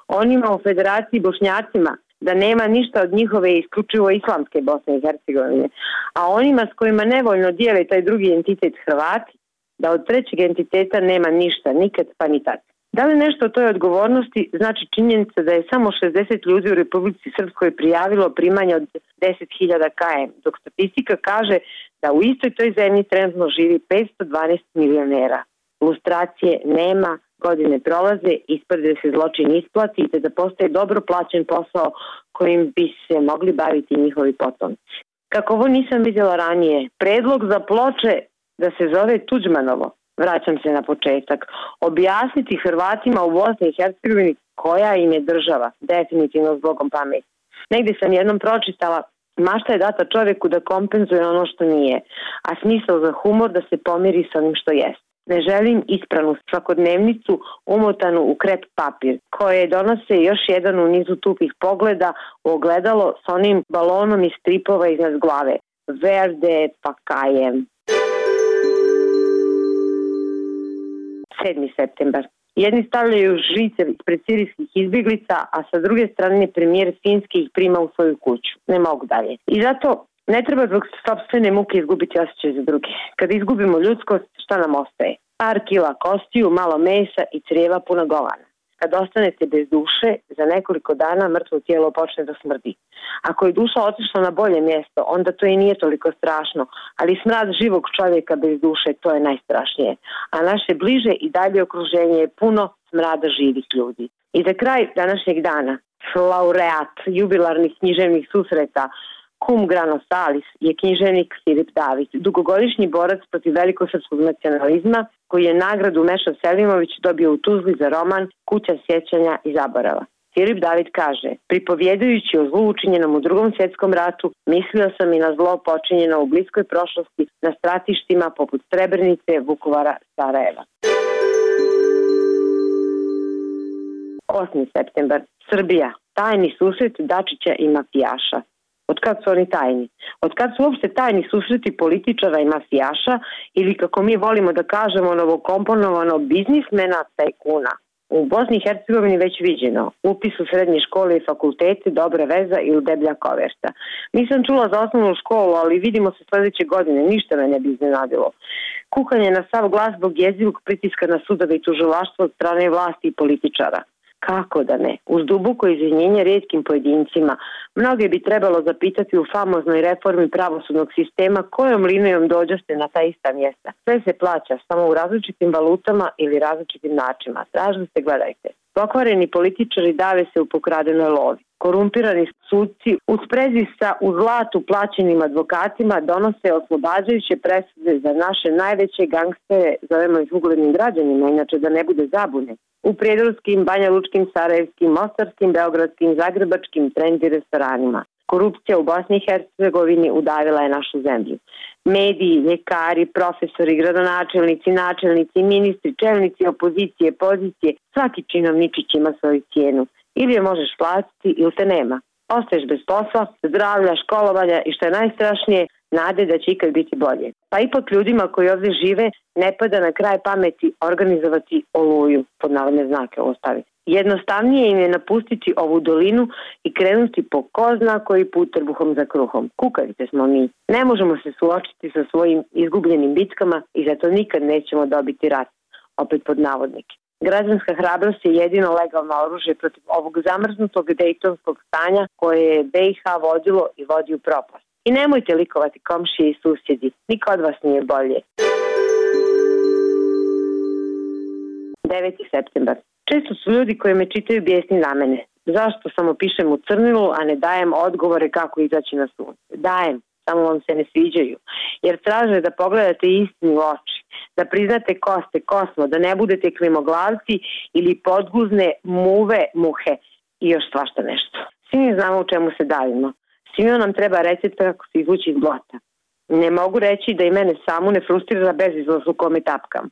[SPEAKER 3] Onima u Federaciji Bošnjacima da nema ništa od njihove isključivo islamske Bosne i Hercegovine, a onima s kojima nevoljno dijele taj drugi entitet Hrvati, da od trećeg entiteta nema ništa, nikad pa ni tad. Da li nešto o toj odgovornosti znači činjenica da je samo šezdeset ljudi u Republici Srpskoj prijavilo primanje od deset hiljada kajem, dok statistika kaže da u istoj toj zemlji trenutno živi petsto dvanaest milionera. Lustracije nema, godine prolaze, isprde se zločin isplati te da postaje dobro plaćen posao kojim bi se mogli baviti njihovi potomci. Kako ovo nisam vidjela ranije, predlog za ploče da se zove Tuđmanovo, vraćam se na početak, objasniti Hrvatima u Bosni i Hercegovini koja im je država, definitivno s Bogom pameti. Negdje sam jednom pročitala, mašta je data čovjeku da kompenzuje ono što nije, a smisao za humor da se pomiri sa onim što jest. Ne želim ispranu svakodnevnicu umotanu u krep papir, koje donose još jedan u nizu tupih pogleda u ogledalo s onim balonom iz stripova iznad glave. Verde pa kajem. sedmi septembar. Jedni stavljaju žice pred sirijskih izbjeglica, a sa druge strane premijer Finski ih prima u svoju kuću. Ne mogu dalje. I zato Ne treba zbog sopstvene muke izgubiti osjećaj za druge. Kad izgubimo ljudskost, šta nam ostaje? Par kila kostiju, malo mesa i crijeva puna govana. Kad ostanete bez duše, za nekoliko dana mrtvo tijelo počne da smrdi. Ako je duša otišla na bolje mjesto, onda to i nije toliko strašno, ali smrad živog čovjeka bez duše, to je najstrašnije. A naše bliže i dalje okruženje je puno smrada živih ljudi. I za kraj današnjeg dana, laureat jubilarnih književnih susreta, cum grano salis, je književnik Filip David, dugogodišnji borac protiv velikosrpskog nacionalizma, koji je nagradu Meša Selimović dobio u Tuzli za roman Kuća sjećanja i zaborava. Filip David kaže, pripovjedajući o zlu učinjenom u drugom svjetskom ratu, mislio sam i na zlo počinjeno u bliskoj prošlosti na stratištima poput Srebrenice, Vukovara, Sarajeva. osmi septembar. Srbija. Tajni susret Dačića i mafijaša. Od kad su oni tajni? Od kad su uopšte tajni susreti političara i mafijaša ili, kako mi volimo da kažemo, novokomponovano biznismena tajkuna? U Bosni i Hercegovini već viđeno. Upis u srednje škole i fakultete, dobra veza ili deblja koverta. Nisam čula za osnovnu školu, ali vidimo se sljedeće godine. Ništa me ne bi iznenadilo. Kuhanje na sav glas zbog jezivog pritiska na sudove i tužilaštvo od strane vlasti i političara. Kako da ne? Uz duboko izvinjenje rijetkim pojedincima, mnoge bi trebalo zapitati u famoznoj reformi pravosudnog sistema kojom linijom dođoste na ta ista mjesta. Sve se plaća samo u različitim valutama ili različitim načinima. Tražite, gledajte. Pokvareni političari dave se u pokradenoj lovi. Korumpirani sudci u sprezi sa u zlatu plaćenim advokatima donose oslobađajuće presude za naše najveće gangstere, zovemo ih uglednim građanima, inače da ne bude zabune. U prijedorskim, Banja Lučkim, Sarajevskim, Mostarskim, Beogradskim, Zagrebačkim trendi restoranima. Korupcija u Bosni i Hercegovini udavila je našu zemlju. Mediji, ljekari, profesori, gradonačelnici, načelnici, ministri, čelnici opozicije, pozicije, svaki činovničić ima svoju cijenu. Ili je možeš platiti ili te nema. Ostaješ bez posla, zdravlja, školovanja i što je najstrašnije, nade da će ikad biti bolje. Pa ipak ljudima koji ovdje žive ne pada na kraj pameti organizovati oluju, pod navodne znake ostaviti. Jednostavnije im je napustiti ovu dolinu i krenuti po ko zna koji put trbuhom za kruhom. Kukavice smo mi. Ne možemo se suočiti sa svojim izgubljenim bitkama i zato nikad nećemo dobiti rat. Opet pod navodnike. Građanska hrabrost je jedino legalno oružje protiv ovog zamrznutog dejtonskog stanja koje je B i H vodilo i vodi u propast. I nemojte likovati komšije i susjedi. Niko od vas nije bolje. deveti septembar. Često su ljudi koji me čitaju bijesni na mene. Zašto samo pišem u crnilu, a ne dajem odgovore kako izaći na sunce? Dajem, samo vam se ne sviđaju. Jer traže da pogledate istinu u oči, da priznate ko ste, ko smo, da ne budete klimoglavci ili podguzne muve muhe i još svašta nešto. Svi mi znamo u čemu se davimo. Svima nam treba recept kako se izvući iz blata. Ne mogu reći da i mene samu ne frustrira bezizlaz u kome tapkam.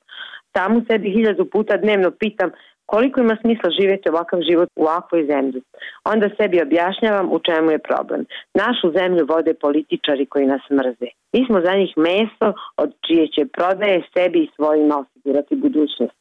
[SPEAKER 3] Samu sebi hiljadu puta dnevno pitam koliko ima smisla živjeti ovakav život u ovakvoj zemlji. Onda sebi objašnjavam u čemu je problem. Našu zemlju vode političari koji nas mrze. Mi smo za njih meso od čije će prodaje sebi i svojima osigurati budućnost.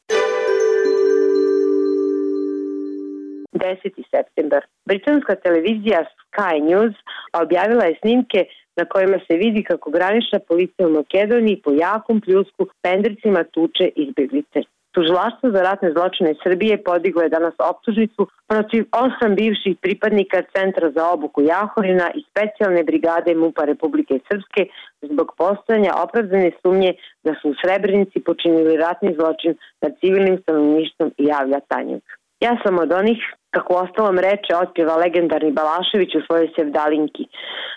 [SPEAKER 3] deseti septembar. Britanska televizija Sky News objavila je snimke na kojima se vidi kako granična policija u Makedoniji po jakom pljusku pendricima tuče izbjeglice. Tužilaštvo za ratne zločine Srbije podiglo je danas optužnicu protiv osam bivših pripadnika Centra za obuku Jahorina i specijalne brigade MUP-a Republike Srpske zbog postojanja opravdane sumnje da su u Srebrenici počinili ratni zločin nad civilnim stanovništvom i javlja Tanjug. Ja sam od onih, kako ostalom reče, otpjeva legendarni Balašević u svojoj sevdalinki.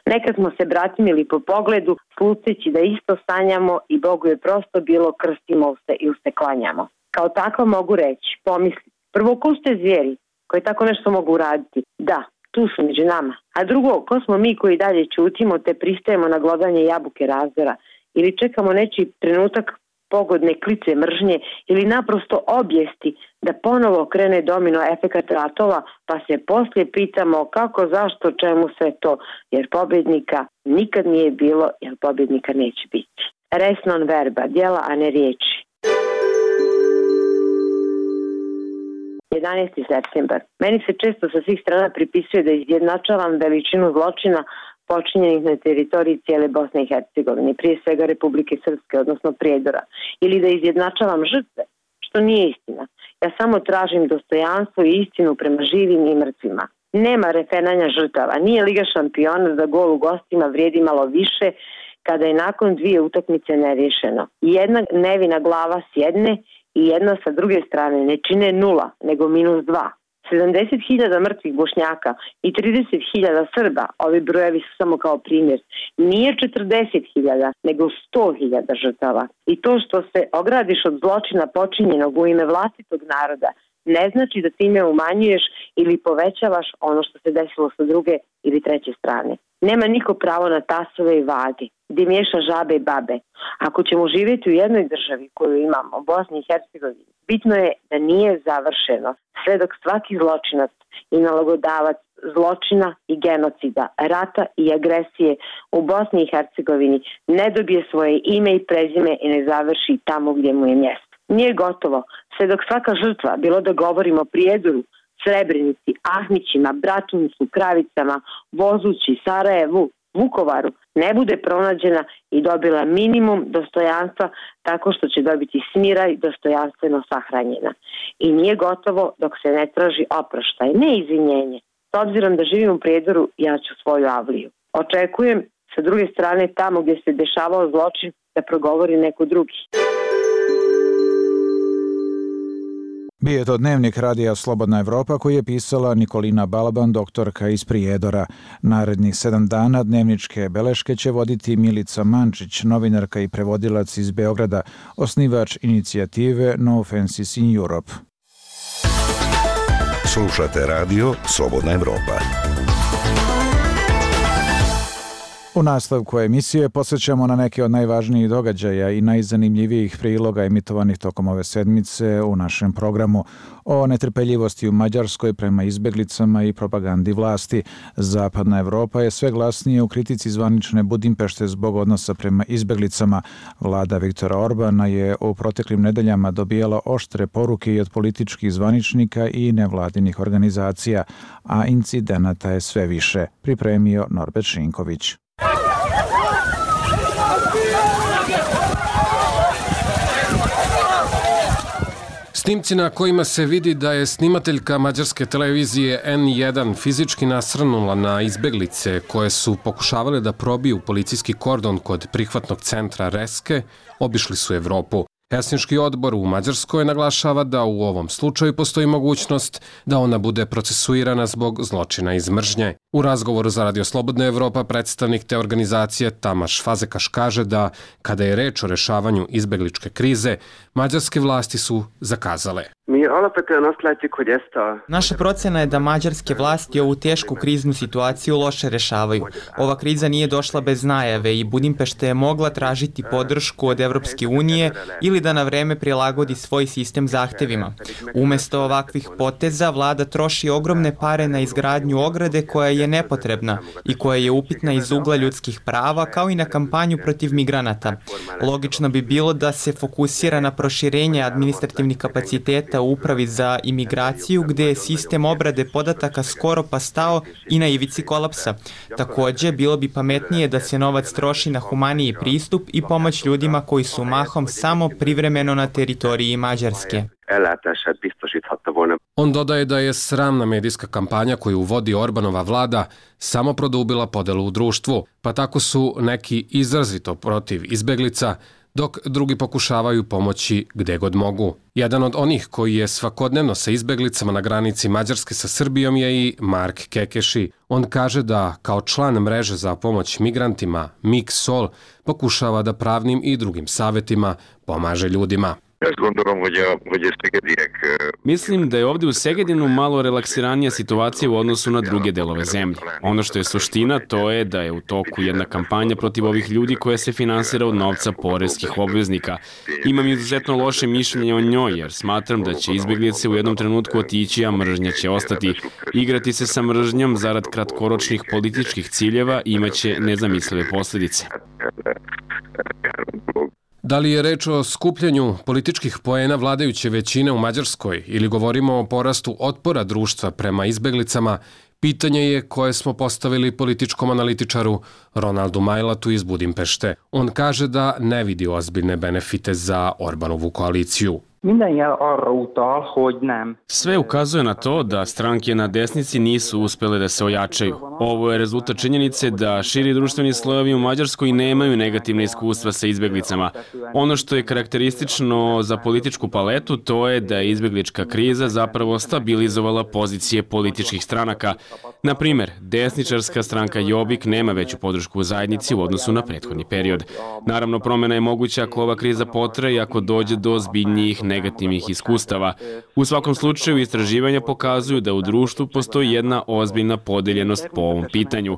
[SPEAKER 3] Nekad smo se bratimili po pogledu, sluteći da isto sanjamo i Bogu je prosto bilo krstimo se i se klanjamo. Kao tako mogu reći, pomisli, prvo ko ste zvijeri koji tako nešto mogu uraditi? Da, tu su među nama. A drugo, ko smo mi koji dalje ćutimo te pristajemo na glodanje jabuke razdora ili čekamo nečiji trenutak pogodne klice mržnje ili naprosto objesti da ponovo krene domino efekat ratova, pa se poslije pitamo kako, zašto, čemu sve to, jer pobjednika nikad nije bilo, jer pobjednika neće biti. Res non verba, djela, a ne riječi. jedanaesti septembar. Meni se često sa svih strana pripisuje da izjednačavam veličinu zločina počinjenih na teritoriji cijele Bosne i Hercegovine, prije svega Republike Srpske, odnosno Prijedora, ili da izjednačavam žrtve, što nije istina. Ja samo tražim dostojanstvo i istinu prema živim i mrtvima. Nema refenanja žrtava, nije Liga šampiona za gol u gostima vrijedi malo više kada je nakon dvije utakmice neriješeno. Jedna nevina glava s jedne i jedna sa druge strane ne čine nula, nego minus dva. sedamdeset hiljada mrtvih Bošnjaka i trideset hiljada Srba, ovi brojevi su samo kao primjer, nije četrdeset hiljada, nego sto hiljada žrtava. I to što se ogradiš od zločina počinjenog u ime vlastitog naroda, ne znači da time umanjuješ ili povećavaš ono što se desilo sa druge ili treće strane. Nema niko pravo na tasove i vage, gdje miješa žabe i babe. Ako ćemo živjeti u jednoj državi koju imamo, Bosni i Hercegovini, bitno je da nije završeno sve dok svaki zločinac i nalogodavac zločina i genocida, rata i agresije u Bosni i Hercegovini ne dobije svoje ime i prezime i ne završi tamo gdje mu je mjesto. Nije gotovo, sve dok svaka žrtva, bilo da govorimo o Prijedoru, Srebrenici, Ahmićima, Bratuncu, Kravicama, Vozući, Sarajevu, Vukovaru, ne bude pronađena i dobila minimum dostojanstva tako što će dobiti smira i dostojanstveno sahranjena. I nije gotovo dok se ne traži oproštaj, ne izvinjenje. S obzirom da živim u Prijedoru, ja ću svoju avliju. Očekujem sa druge strane tamo gdje se dešavao zločin da progovori neko drugi.
[SPEAKER 1] Bio je to dnevnik radija Slobodna Evropa koji je pisala Nikolina Balaban, doktorka iz Prijedora. Narednih sedam dana dnevničke beleške će voditi Milica Mančić, novinarka i prevodilac iz Beograda, osnivač inicijative No Fences in Europe.
[SPEAKER 15] Slušate radio Slobodna Evropa.
[SPEAKER 1] U nastavku emisije posjećamo na neke od najvažnijih događaja i najzanimljivijih priloga emitovanih tokom ove sedmice u našem programu o netrpeljivosti u Mađarskoj prema izbjeglicama i propagandi vlasti. Zapadna Evropa je sve glasnije u kritici zvanične Budimpešte zbog odnosa prema izbjeglicama. Vlada Viktora Orbana je u proteklim nedeljama dobijala oštre poruke i od političkih zvaničnika i nevladinih organizacija, a incidenata je sve više. Pripremio Norbert Šinković.
[SPEAKER 19] Snimci na kojima se vidi da je snimateljka mađarske televizije en jedan fizički nasrnula na izbeglice koje su pokušavale da probiju policijski kordon kod prihvatnog centra Reske, obišli su Evropu. Helsinški odbor u Mađarskoj naglašava da u ovom slučaju postoji mogućnost da ona bude procesuirana zbog zločina iz mržnje. U razgovoru za Radio Slobodna Evropa predstavnik te organizacije Tamaš Fazekaš kaže da kada je reč o rešavanju izbegličke krize, mađarske vlasti su zakazale.
[SPEAKER 20] Naša procena je da mađarske vlasti ovu tešku kriznu situaciju loše rešavaju. Ova kriza nije došla bez najave i Budimpešta je mogla tražiti podršku od Evropske unije ili da na vreme prilagodi svoj sistem zahtevima. Umesto ovakvih poteza, vlada troši ogromne pare na izgradnju ograde koja je nepotrebna i koja je upitna iz ugla ljudskih prava, kao i na kampanju protiv migranata. Logično bi bilo da se fokusira na proširenje administrativnih kapaciteta u upravi za imigraciju, gdje je sistem obrade podataka skoro pa stao i na ivici kolapsa. Također, bilo bi pametnije da se novac troši na humaniji pristup i pomoć ljudima koji su mahom samo privremeno na teritoriji Mađarske.
[SPEAKER 19] On dodaje da je sramna medijska kampanja koju vodi Orbanova vlada samo produbila podelu u društvu, pa tako su neki izrazito protiv izbeglica, dok drugi pokušavaju pomoći gde god mogu. Jedan od onih koji je svakodnevno sa izbeglicama na granici Mađarske sa Srbijom je i Mark Kekeši. On kaže da kao član mreže za pomoć migrantima Mik-Sol pokušava da pravnim i drugim savjetima pomaže ljudima.
[SPEAKER 10] Mislim da je ovdje u Segedinu malo relaksiranija situacija u odnosu na druge delove zemlje. Ono što je suština to je da je u toku jedna kampanja protiv ovih ljudi koja se finansira od novca poreskih obveznika. Imam izuzetno loše mišljenje o njoj jer smatram da će izbjeglice u jednom trenutku otići, a mržnja će ostati. Igrati se sa mržnjom zarad kratkoročnih političkih ciljeva imaće nezamislive posljedice.
[SPEAKER 19] Da li je reč o skupljanju političkih poena vladajuće većine u Mađarskoj ili govorimo o porastu otpora društva prema izbeglicama, Pitanje je koje smo postavili političkom analitičaru Ronaldu Majlatu iz Budimpešte. On kaže da ne vidi ozbiljne benefite za Orbanovu koaliciju.
[SPEAKER 10] Sve ukazuje na to da stranke na desnici nisu uspjele da se ojačaju. Ovo je rezultat činjenice da širi društveni slojevi u Mađarskoj nemaju negativne iskustva sa izbjeglicama. Ono što je karakteristično za političku paletu to je da je izbjeglička kriza zapravo stabilizovala pozicije političkih stranaka. Na primjer, desničarska stranka Jobbik nema veću podršku u zajednici u odnosu na prethodni period. Naravno, promjena je moguća ako ova kriza potraje i ako dođe do ozbiljnijih negativnih iskustava. U svakom slučaju, istraživanja pokazuju da u društvu postoji jedna ozbiljna podeljenost po ovom pitanju.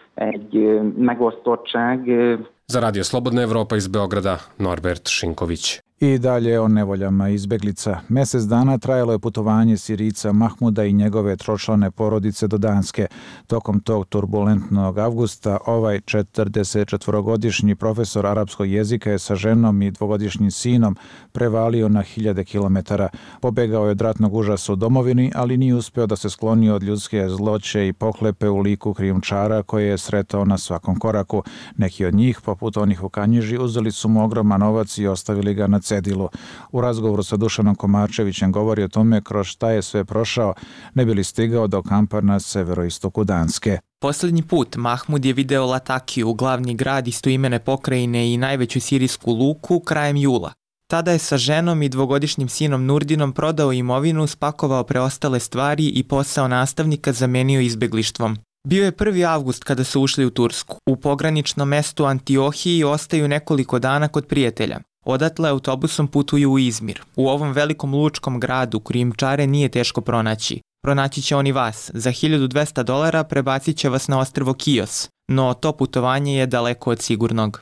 [SPEAKER 19] Za Radio Slobodna Evropa iz Beograda, Norbert Šinković.
[SPEAKER 1] I dalje o nevoljama izbeglica. Mjesec dana trajalo je putovanje Sirijca Mahmuda i njegove tročlane porodice do Danske. Tokom tog turbulentnog avgusta ovaj četrdesetčetvorogodišnji profesor arapskog jezika je sa ženom i dvogodišnjim sinom prevalio na hiljade kilometara. Pobegao je od ratnog užasa u domovini, ali nije uspio da se skloni od ljudske zloće i pohlepe u liku krijumčara koje je sretao na svakom koraku. Neki od njih, poput onih u Kanjiži, uzeli su mu ogroman novac i ostavili ga na cedilu. U razgovoru sa Dušanom Komačevićem govori o tome kroz šta je sve prošao, ne bi li stigao do kampa na severoistoku Danske.
[SPEAKER 20] Posljednji put Mahmud je video Latakiju, glavni grad istoimene pokrajine i najveću sirijsku luku, krajem jula. Tada je sa ženom i dvogodišnjim sinom Nurdinom prodao imovinu, spakovao preostale stvari i posao nastavnika zamenio izbjeglištvom. Bio je prvi avgust kada su ušli u Tursku. U pograničnom mestu Antiohiji ostaju nekoliko dana kod prijatelja. Odatle autobusom putuju u Izmir. U ovom velikom lučkom gradu krijumčare nije teško pronaći. Pronaći će oni vas. Za hiljadu dvesta dolara prebacit će vas na ostrvo Kios. No to putovanje je daleko od sigurnog.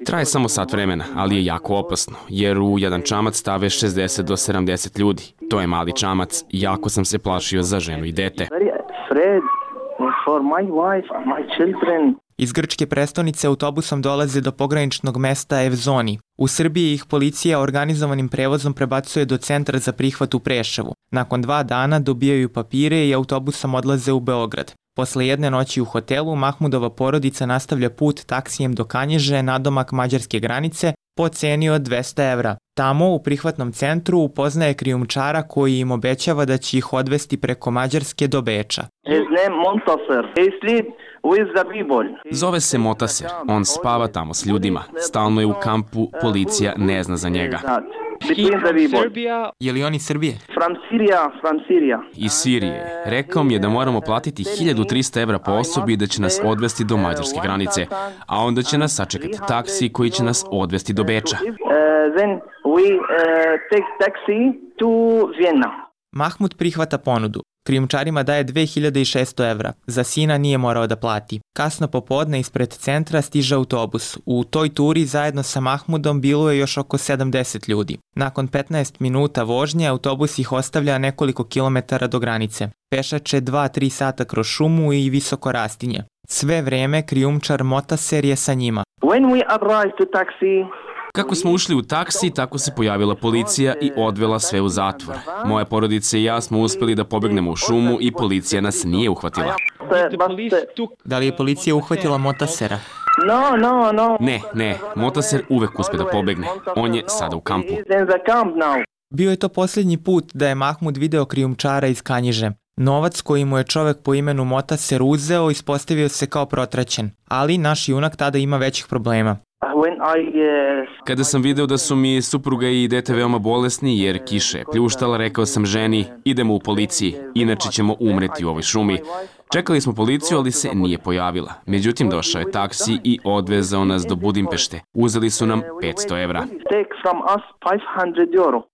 [SPEAKER 10] Traje samo sat vremena, ali je jako opasno, jer u jedan čamac stave šezdeset do sedamdeset ljudi. To je mali čamac, jako sam se plašio za ženu i dete.
[SPEAKER 20] Iz grčke prestonice autobusom dolaze do pograničnog mesta Evzoni. U Srbiji ih policija organizovanim prevozom prebacuje do centra za prihvat u Preševu. Nakon dva dana dobijaju papire i autobusom odlaze u Beograd. Posle jedne noći u hotelu, Mahmudova porodica nastavlja put taksijem do Kanjiže, nadomak mađarske granice, po ceni od dvesta evra. Tamo, u prihvatnom centru, upoznaje krijumčara koji im obećava da će ih odvesti preko Mađarske do Beča.
[SPEAKER 10] Zove se Motaser, on spava tamo s ljudima. Stalno je u kampu, policija ne zna za njega.
[SPEAKER 20] Je li on iz Srbije?
[SPEAKER 10] Iz Sirije. Rekao mi je da moramo platiti hiljadu trista evra po osobi i da će nas odvesti do mađarske granice, a onda će nas sačekati taksi koji će nas odvesti do Beča.
[SPEAKER 20] Mahmud prihvata ponudu. Krijumčarima daje dve hiljade šesto evra. Za sina nije morao da plati. Kasno popodne ispred centra stiže autobus. U toj turi zajedno sa Mahmudom bilo je još oko sedamdeset ljudi. Nakon petnaest minuta vožnje autobus ih ostavlja nekoliko kilometara do granice. Pešače dva tri sata kroz šumu i visoko rastinje. Sve vreme krijumčar Motaser je sa njima.
[SPEAKER 16] When we arrive to taxi,
[SPEAKER 10] Kako smo ušli u taksi, tako se pojavila policija i odvela sve u zatvor. Moja porodica i ja smo uspjeli da pobegnemo u šumu i policija nas nije uhvatila.
[SPEAKER 20] Da li je policija uhvatila Motasera?
[SPEAKER 16] No, no, no.
[SPEAKER 10] Ne, ne, Motaser uvek uspe da pobegne. On je sada u kampu.
[SPEAKER 20] Bio je to posljednji put da je Mahmud video krijumčara iz Kanjiže. Novac koji mu je čovjek po imenu Motaser uzeo ispostavio se kao protraćen, ali naš junak tada ima većih problema.
[SPEAKER 10] Kada sam video da su mi supruga i dete veoma bolesni jer kiša je pljuštala, rekao sam ženi, idemo u policiji, inače ćemo umreti u ovoj šumi. Čekali smo policiju, ali se nije pojavila. Međutim, došao je taksi i odvezao nas do Budimpešte. Uzeli su nam petsto evra.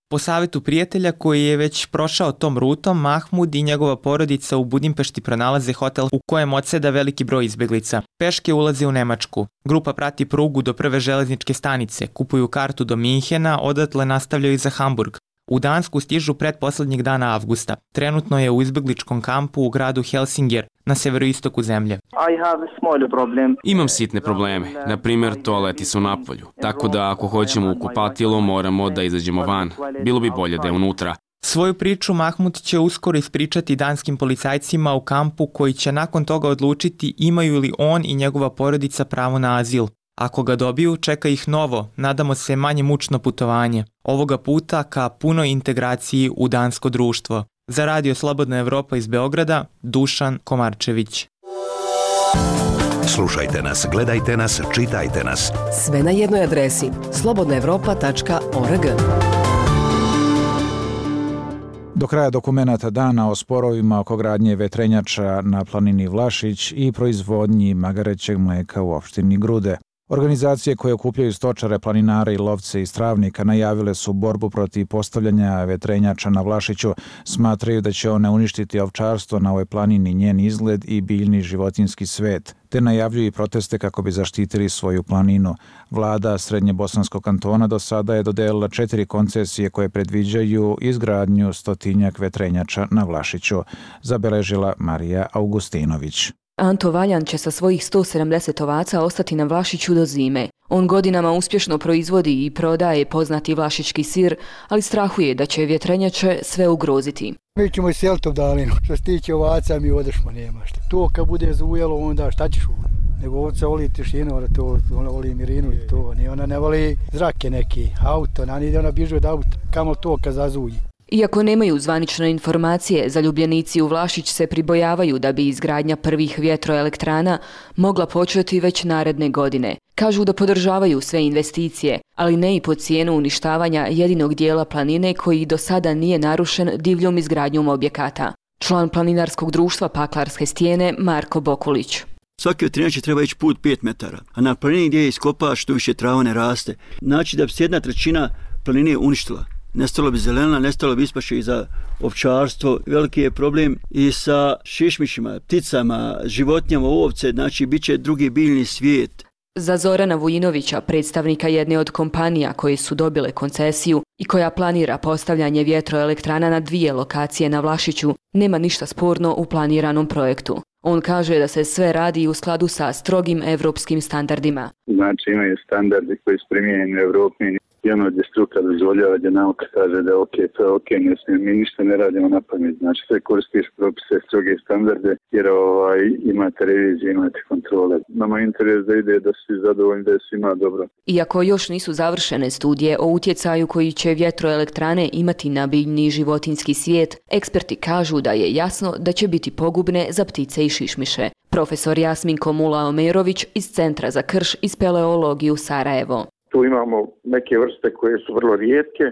[SPEAKER 20] Po savjetu prijatelja koji je već prošao tom rutom, Mahmud i njegova porodica u Budimpešti pronalaze hotel u kojem odseda veliki broj izbjeglica. Peške ulaze u Nemačku. Grupa prati prugu do prve železničke stanice, kupuju kartu do Minhena, odatle nastavljaju za Hamburg. U Dansku stižu pretposlednjeg dana avgusta. Trenutno je u izbjegličkom kampu u gradu Helsinger, na severoistoku zemlje.
[SPEAKER 10] Imam sitne probleme, na primjer toaleti su napolju, tako da ako hoćemo u kupatilo moramo da izađemo van. Bilo bi bolje da je unutra.
[SPEAKER 20] Svoju priču Mahmud će uskoro ispričati danskim policajcima u kampu koji će nakon toga odlučiti imaju li on i njegova porodica pravo na azil. Ako ga dobiju, čeka ih novo, nadamo se manje mučno putovanje. Ovoga puta ka punoj integraciji u dansko društvo. Za Radio Slobodna Evropa iz Beograda, Dušan Komarčević.
[SPEAKER 15] Slušajte nas, gledajte nas, čitajte nas.
[SPEAKER 2] Sve na jednoj adresi slobodna evropa tačka org.
[SPEAKER 1] Do kraja dokumenata dana o sporovima oko gradnje vetrenjača na planini Vlašić i proizvodnji magarećeg mleka u opštini Grude. Organizacije koje okupljaju stočare, planinare i lovce iz Travnika najavile su borbu protiv postavljanja vetrenjača na Vlašiću. Smatraju da će one uništiti ovčarstvo na ovoj planini, njen izgled i biljni životinski svet, te najavljuju i proteste kako bi zaštitili svoju planinu. Vlada Srednjebosanskog kantona do sada je dodelila četiri koncesije koje predviđaju izgradnju stotinjak vetrenjača na Vlašiću, zabeležila Marija Augustinović.
[SPEAKER 5] Anto Valjan će sa svojih sto sedamdeset ovaca ostati na Vlašiću do zime. On godinama uspješno proizvodi i prodaje poznati vlašički sir, ali strahuje da će vjetrenjače sve ugroziti.
[SPEAKER 21] Mi ćemo iseliti u dalinu. Što se tiče ovaca, mi odešmo, nema šta. To kad bude zujelo, onda šta ćeš uvijek? Nego ovca voli tišinu, to, ona voli mirinu i to. Ona ne voli zrake neki, auto, ona ide, ona bježe od auta. Kamo to kad zazuji.
[SPEAKER 5] Iako nemaju zvanične informacije, zaljubljenici u Vlašić se pribojavaju da bi izgradnja prvih vjetroelektrana mogla početi već naredne godine. Kažu da podržavaju sve investicije, ali ne i po cijenu uništavanja jedinog dijela planine koji do sada nije narušen divljom izgradnjom objekata. Član planinarskog društva Paklarske stijene Marko Bokulić.
[SPEAKER 22] Svaki vetrenjač treba ići put pet metara, a na planini gdje je iskopaš, što više trava ne raste. Znači da bi se jedna trećina planine uništila. Nestalo bi zelena, nestalo bi ispaše i za ovčarstvo. Veliki je problem i sa šišmišima, pticama, životinjama, ovce, znači bit će drugi biljni svijet.
[SPEAKER 5] Za Zorana Vujinovića, predstavnika jedne od kompanija koje su dobile koncesiju i koja planira postavljanje vjetroelektrana na dvije lokacije na Vlašiću, nema ništa sporno u planiranom projektu. On kaže da se sve radi u skladu sa strogim evropskim standardima.
[SPEAKER 17] Znači imaju standardi koji su primijenjeni u Evropi. I ono gdje struka dozvoljava, gdje nauka kaže da je ok, to je ok, ne smijem, mi ništa ne radimo na pamet. Znači sve koristiš propise, stroge standarde, jer ovaj, imate revizije, imate kontrole. Nama interes da ide, da si zadovoljni, da je svima dobro.
[SPEAKER 5] Iako još nisu završene studije o utjecaju koji će vjetroelektrane imati na biljni i životinski svijet, eksperti kažu da je jasno da će biti pogubne za ptice i šišmiše. Profesor Jasminko Mula-Omerović iz Centra za krš i speleologiju Sarajevo.
[SPEAKER 17] Tu imamo neke vrste koje su vrlo rijetke.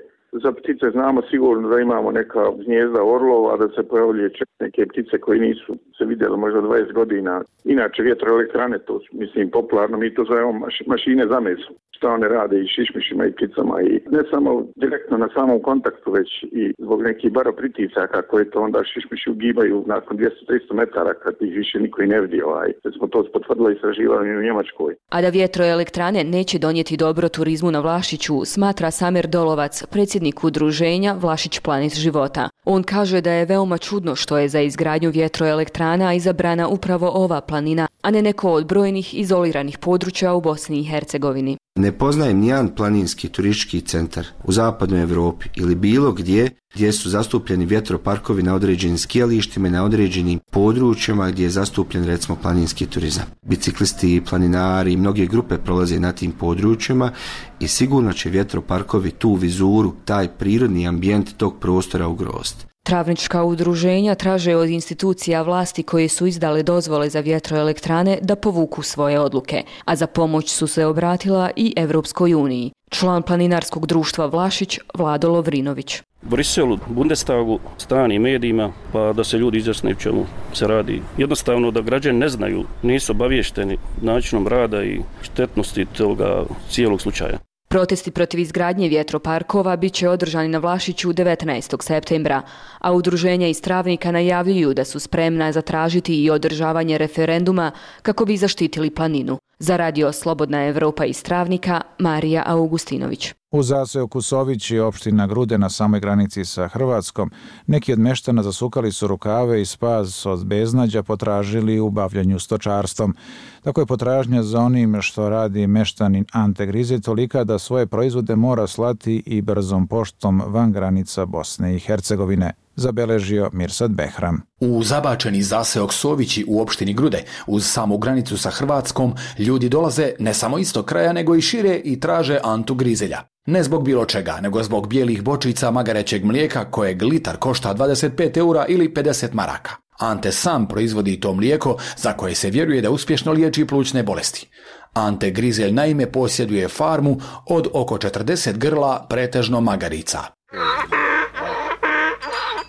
[SPEAKER 17] Za ptice znamo sigurno da imamo neka gnjezda orlova, da se pojavljuje neke ptice koje nisu se vidjeli možda dvadeset godina. Inače vjetroelektrane, to mislim popularno, mi to zovemo mašine za meso. Šta one rade i šišmišima i pticama i ne samo direktno na samom kontaktu, već i zbog nekih baropritisaka koje to onda šišmiši ugibaju nakon dvjesto do tristo metara kad ih više niko i ne vidi. Ovaj. Kad smo to potvrdili istraživanje u Njemačkoj.
[SPEAKER 5] A da vjetroelektrane neće donijeti dobro turizmu na Vlašiću, smatra Samir Dolovac, predsjednik udruženja Vlašić Planet života. On kaže da je veoma čudno što je za izgradnju vjetroelektrana izabrana upravo ova planina, a ne neko od brojnih izoliranih područja u Bosni i Hercegovini.
[SPEAKER 23] Ne poznajem nijedan planinski turistički centar u zapadnoj Europi ili bilo gdje gdje su zastupljeni vjetroparkovi na određenim skijalištima i na određenim područjima gdje je zastupljen recimo planinski turizam. Biciklisti, planinari i mnoge grupe prolaze na tim područjima i sigurno će vjetroparkovi tu vizuru, taj prirodni ambijent tog prostora ugroziti.
[SPEAKER 5] Travnička udruženja traže od institucija vlasti koje su izdale dozvole za vjetroelektrane da povuku svoje odluke, a za pomoć su se obratila i Evropskoj uniji. Član planinarskog društva Vlašić Vlado Lovrinović.
[SPEAKER 24] Briselu, Bundestagu, stranim medijima, pa da se ljudi izjasne u čemu se radi. Jednostavno da građani ne znaju, nisu obavješteni načinom rada i štetnosti toga cijelog slučaja.
[SPEAKER 5] Protesti protiv izgradnje vjetroparkova bit će održani na Vlašiću devetnaestog septembra, a udruženja iz Travnika najavljuju da su spremna zatražiti i održavanje referenduma kako bi zaštitili planinu. Za Radio Slobodna Evropa iz Travnika, Marija Augustinović.
[SPEAKER 1] U zaseoku Sovići, opština Grude na samoj granici sa Hrvatskom, neki od meštana zasukali su rukave i spas od beznađa potražili u bavljanju stočarstvom. Tako je potražnja za onim što radi meštanin Ante Grizelj tolika da svoje proizvode mora slati i brzom poštom van granica Bosne i Hercegovine, zabeležio Mirsad Behram.
[SPEAKER 6] U zabačeni zaseok Sovići u opštini Grude, uz samu granicu sa Hrvatskom, ljudi dolaze ne samo iz tog kraja, nego i šire i traže Antu Grizelja. Ne zbog bilo čega, nego zbog bijelih bočica magarećeg mlijeka kojeg litar košta dvadeset pet eura ili pedeset maraka. Ante sam proizvodi to mlijeko za koje se vjeruje da uspješno liječi plućne bolesti. Ante Grizelj naime posjeduje farmu od oko četrdeset grla, pretežno magarica.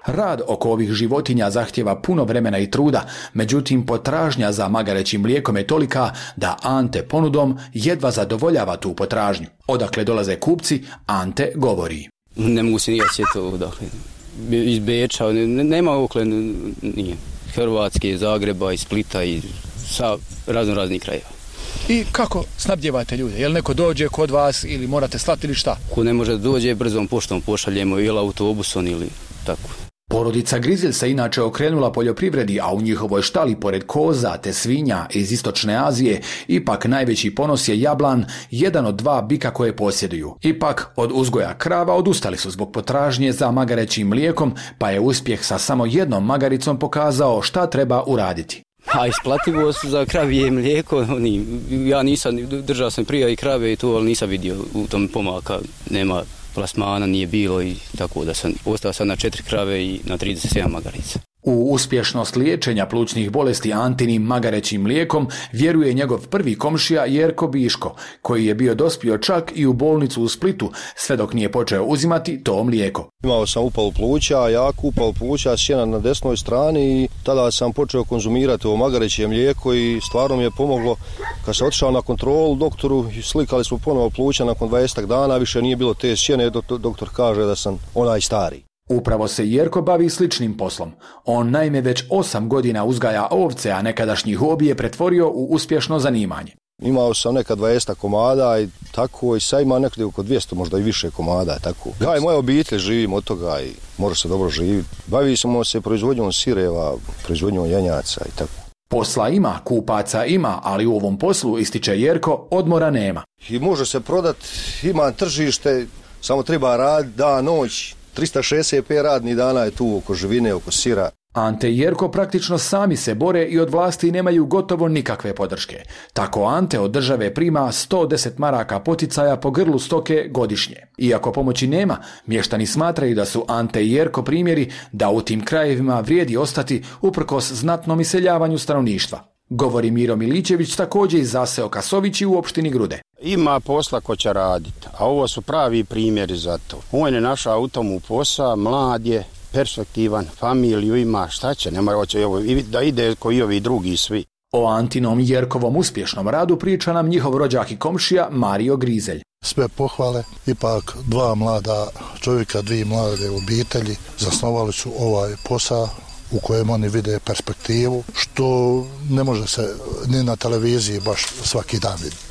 [SPEAKER 6] Rad oko ovih životinja zahtjeva puno vremena i truda, međutim potražnja za magarećim mlijekom je tolika da Ante ponudom jedva zadovoljava tu potražnju. Odakle dolaze kupci, Ante govori.
[SPEAKER 18] Ne mogu se nijeti to, dakle, iz Beča, nema okle, nije. Hrvatske, Zagreba, iz Splita i sa razno raznih krajeva.
[SPEAKER 7] I kako snabdjevate ljude? Jel neko dođe kod vas ili morate slati ili šta?
[SPEAKER 18] Ko ne može da dođe, brzom poštom pošaljemo ili autobusom ili tako.
[SPEAKER 6] Porodica Grizelj se inače okrenula poljoprivredi, a u njihovoj štali pored koza te svinja iz istočne Azije ipak najveći ponos je jablan, jedan od dva bika koje posjeduju. Ipak od uzgoja krava odustali su zbog potražnje za magarećim mlijekom, pa je uspjeh sa samo jednom magaricom pokazao šta treba uraditi.
[SPEAKER 18] A isplativost za kravije mlijeko, ja nisam, držao sam prije i krave i to, ali nisam vidio u tom pomaka, nema plasmana, nije bilo i tako da sam ostao sad na četiri krave i na trideset sedam magarica.
[SPEAKER 6] U uspješnost liječenja plućnih bolesti Antinim magarećim mlijekom vjeruje njegov prvi komšija Jerko Biško, koji je bio dospio čak i u bolnicu u Splitu, sve dok nije počeo uzimati to mlijeko.
[SPEAKER 8] Imao sam upalu pluća, jaku upalu pluća, sjena na desnoj strani i tada sam počeo konzumirati ovo magareće mlijeko i stvarno mi je pomoglo. Kad sam otišao na kontrolu doktoru, slikali smo ponovo pluća nakon dvadeset dana, više nije bilo te sjene, doktor kaže da sam onaj stari.
[SPEAKER 6] Upravo se Jerko bavi sličnim poslom. On naime već osam godina uzgaja ovce, a nekadašnji hobi je pretvorio u uspješno zanimanje.
[SPEAKER 8] Imao sam neka dvadeset komada i tako i sad ima nekada oko dvjesto, možda i više komada. Tako. Ja i moja obitelj živim od toga i može se dobro živjeti. Bavi smo se proizvodnjom sireva, proizvodnjom janjaca i tako.
[SPEAKER 6] Posla ima, kupaca ima, ali u ovom poslu, ističe Jerko, odmora nema.
[SPEAKER 8] I može se prodat, ima tržište, samo treba raditi dan, noć. trista šezdeset pet radnih dana je tu oko živine, oko sira.
[SPEAKER 6] Ante i Jerko praktično sami se bore i od vlasti nemaju gotovo nikakve podrške. Tako Ante od države prima sto deset maraka poticaja po grlu stoke godišnje. Iako pomoći nema, mještani smatraju da su Ante i Jerko primjeri da u tim krajevima vrijedi ostati uprkos znatnom iseljavanju stanovništva. Govori Miro Milićević, također iz zaseoka Sovići u opštini Grude.
[SPEAKER 9] Ima posla ko će raditi, a ovo su pravi primjeri za to. On je našao u tomu posao, mlad je, perspektivan, familiju ima, šta će, nema hoće da ide ko i ovi drugi svi.
[SPEAKER 6] O Antinom i Jerkovom uspješnom radu priča nam njihov rođak i komšija Mario Grizelj.
[SPEAKER 25] Sve pohvale, ipak dva mlada čovjeka, dvije mlade obitelji zasnovali su ovaj posao u kojem oni vide perspektivu, što ne može se ni na televiziji baš svaki dan vidjeti.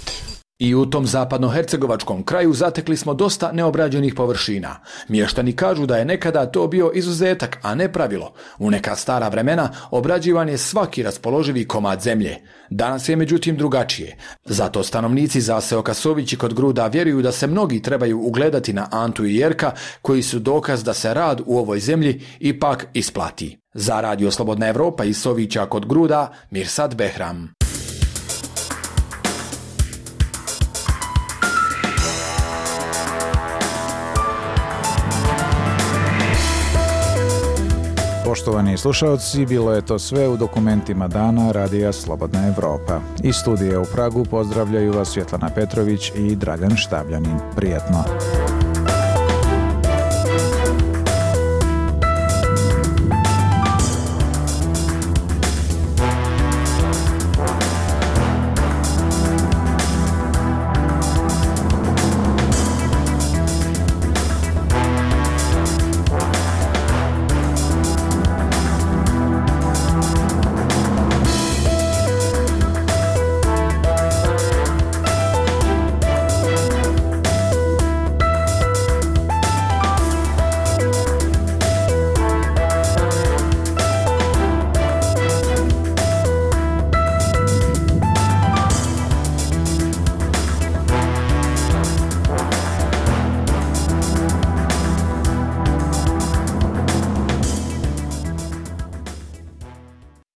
[SPEAKER 6] I u tom zapadnohercegovačkom kraju zatekli smo dosta neobrađenih površina. Mještani kažu da je nekada to bio izuzetak, a ne pravilo. U neka stara vremena obrađivan je svaki raspoloživi komad zemlje. Danas je međutim drugačije. Zato stanovnici zaseoka Sovići kod Gruda vjeruju da se mnogi trebaju ugledati na Antu i Jerka, koji su dokaz da se rad u ovoj zemlji ipak isplati. Za Radio Slobodna Evropa iz Sovića kod Gruda, Mirsad Behram.
[SPEAKER 1] Poštovani slušalci, bilo je to sve u dokumentima dana Radija Slobodna Evropa. Iz studija u Pragu pozdravljaju vas Svjetlana Petrović i Dragan Štabljanin. Prijetno!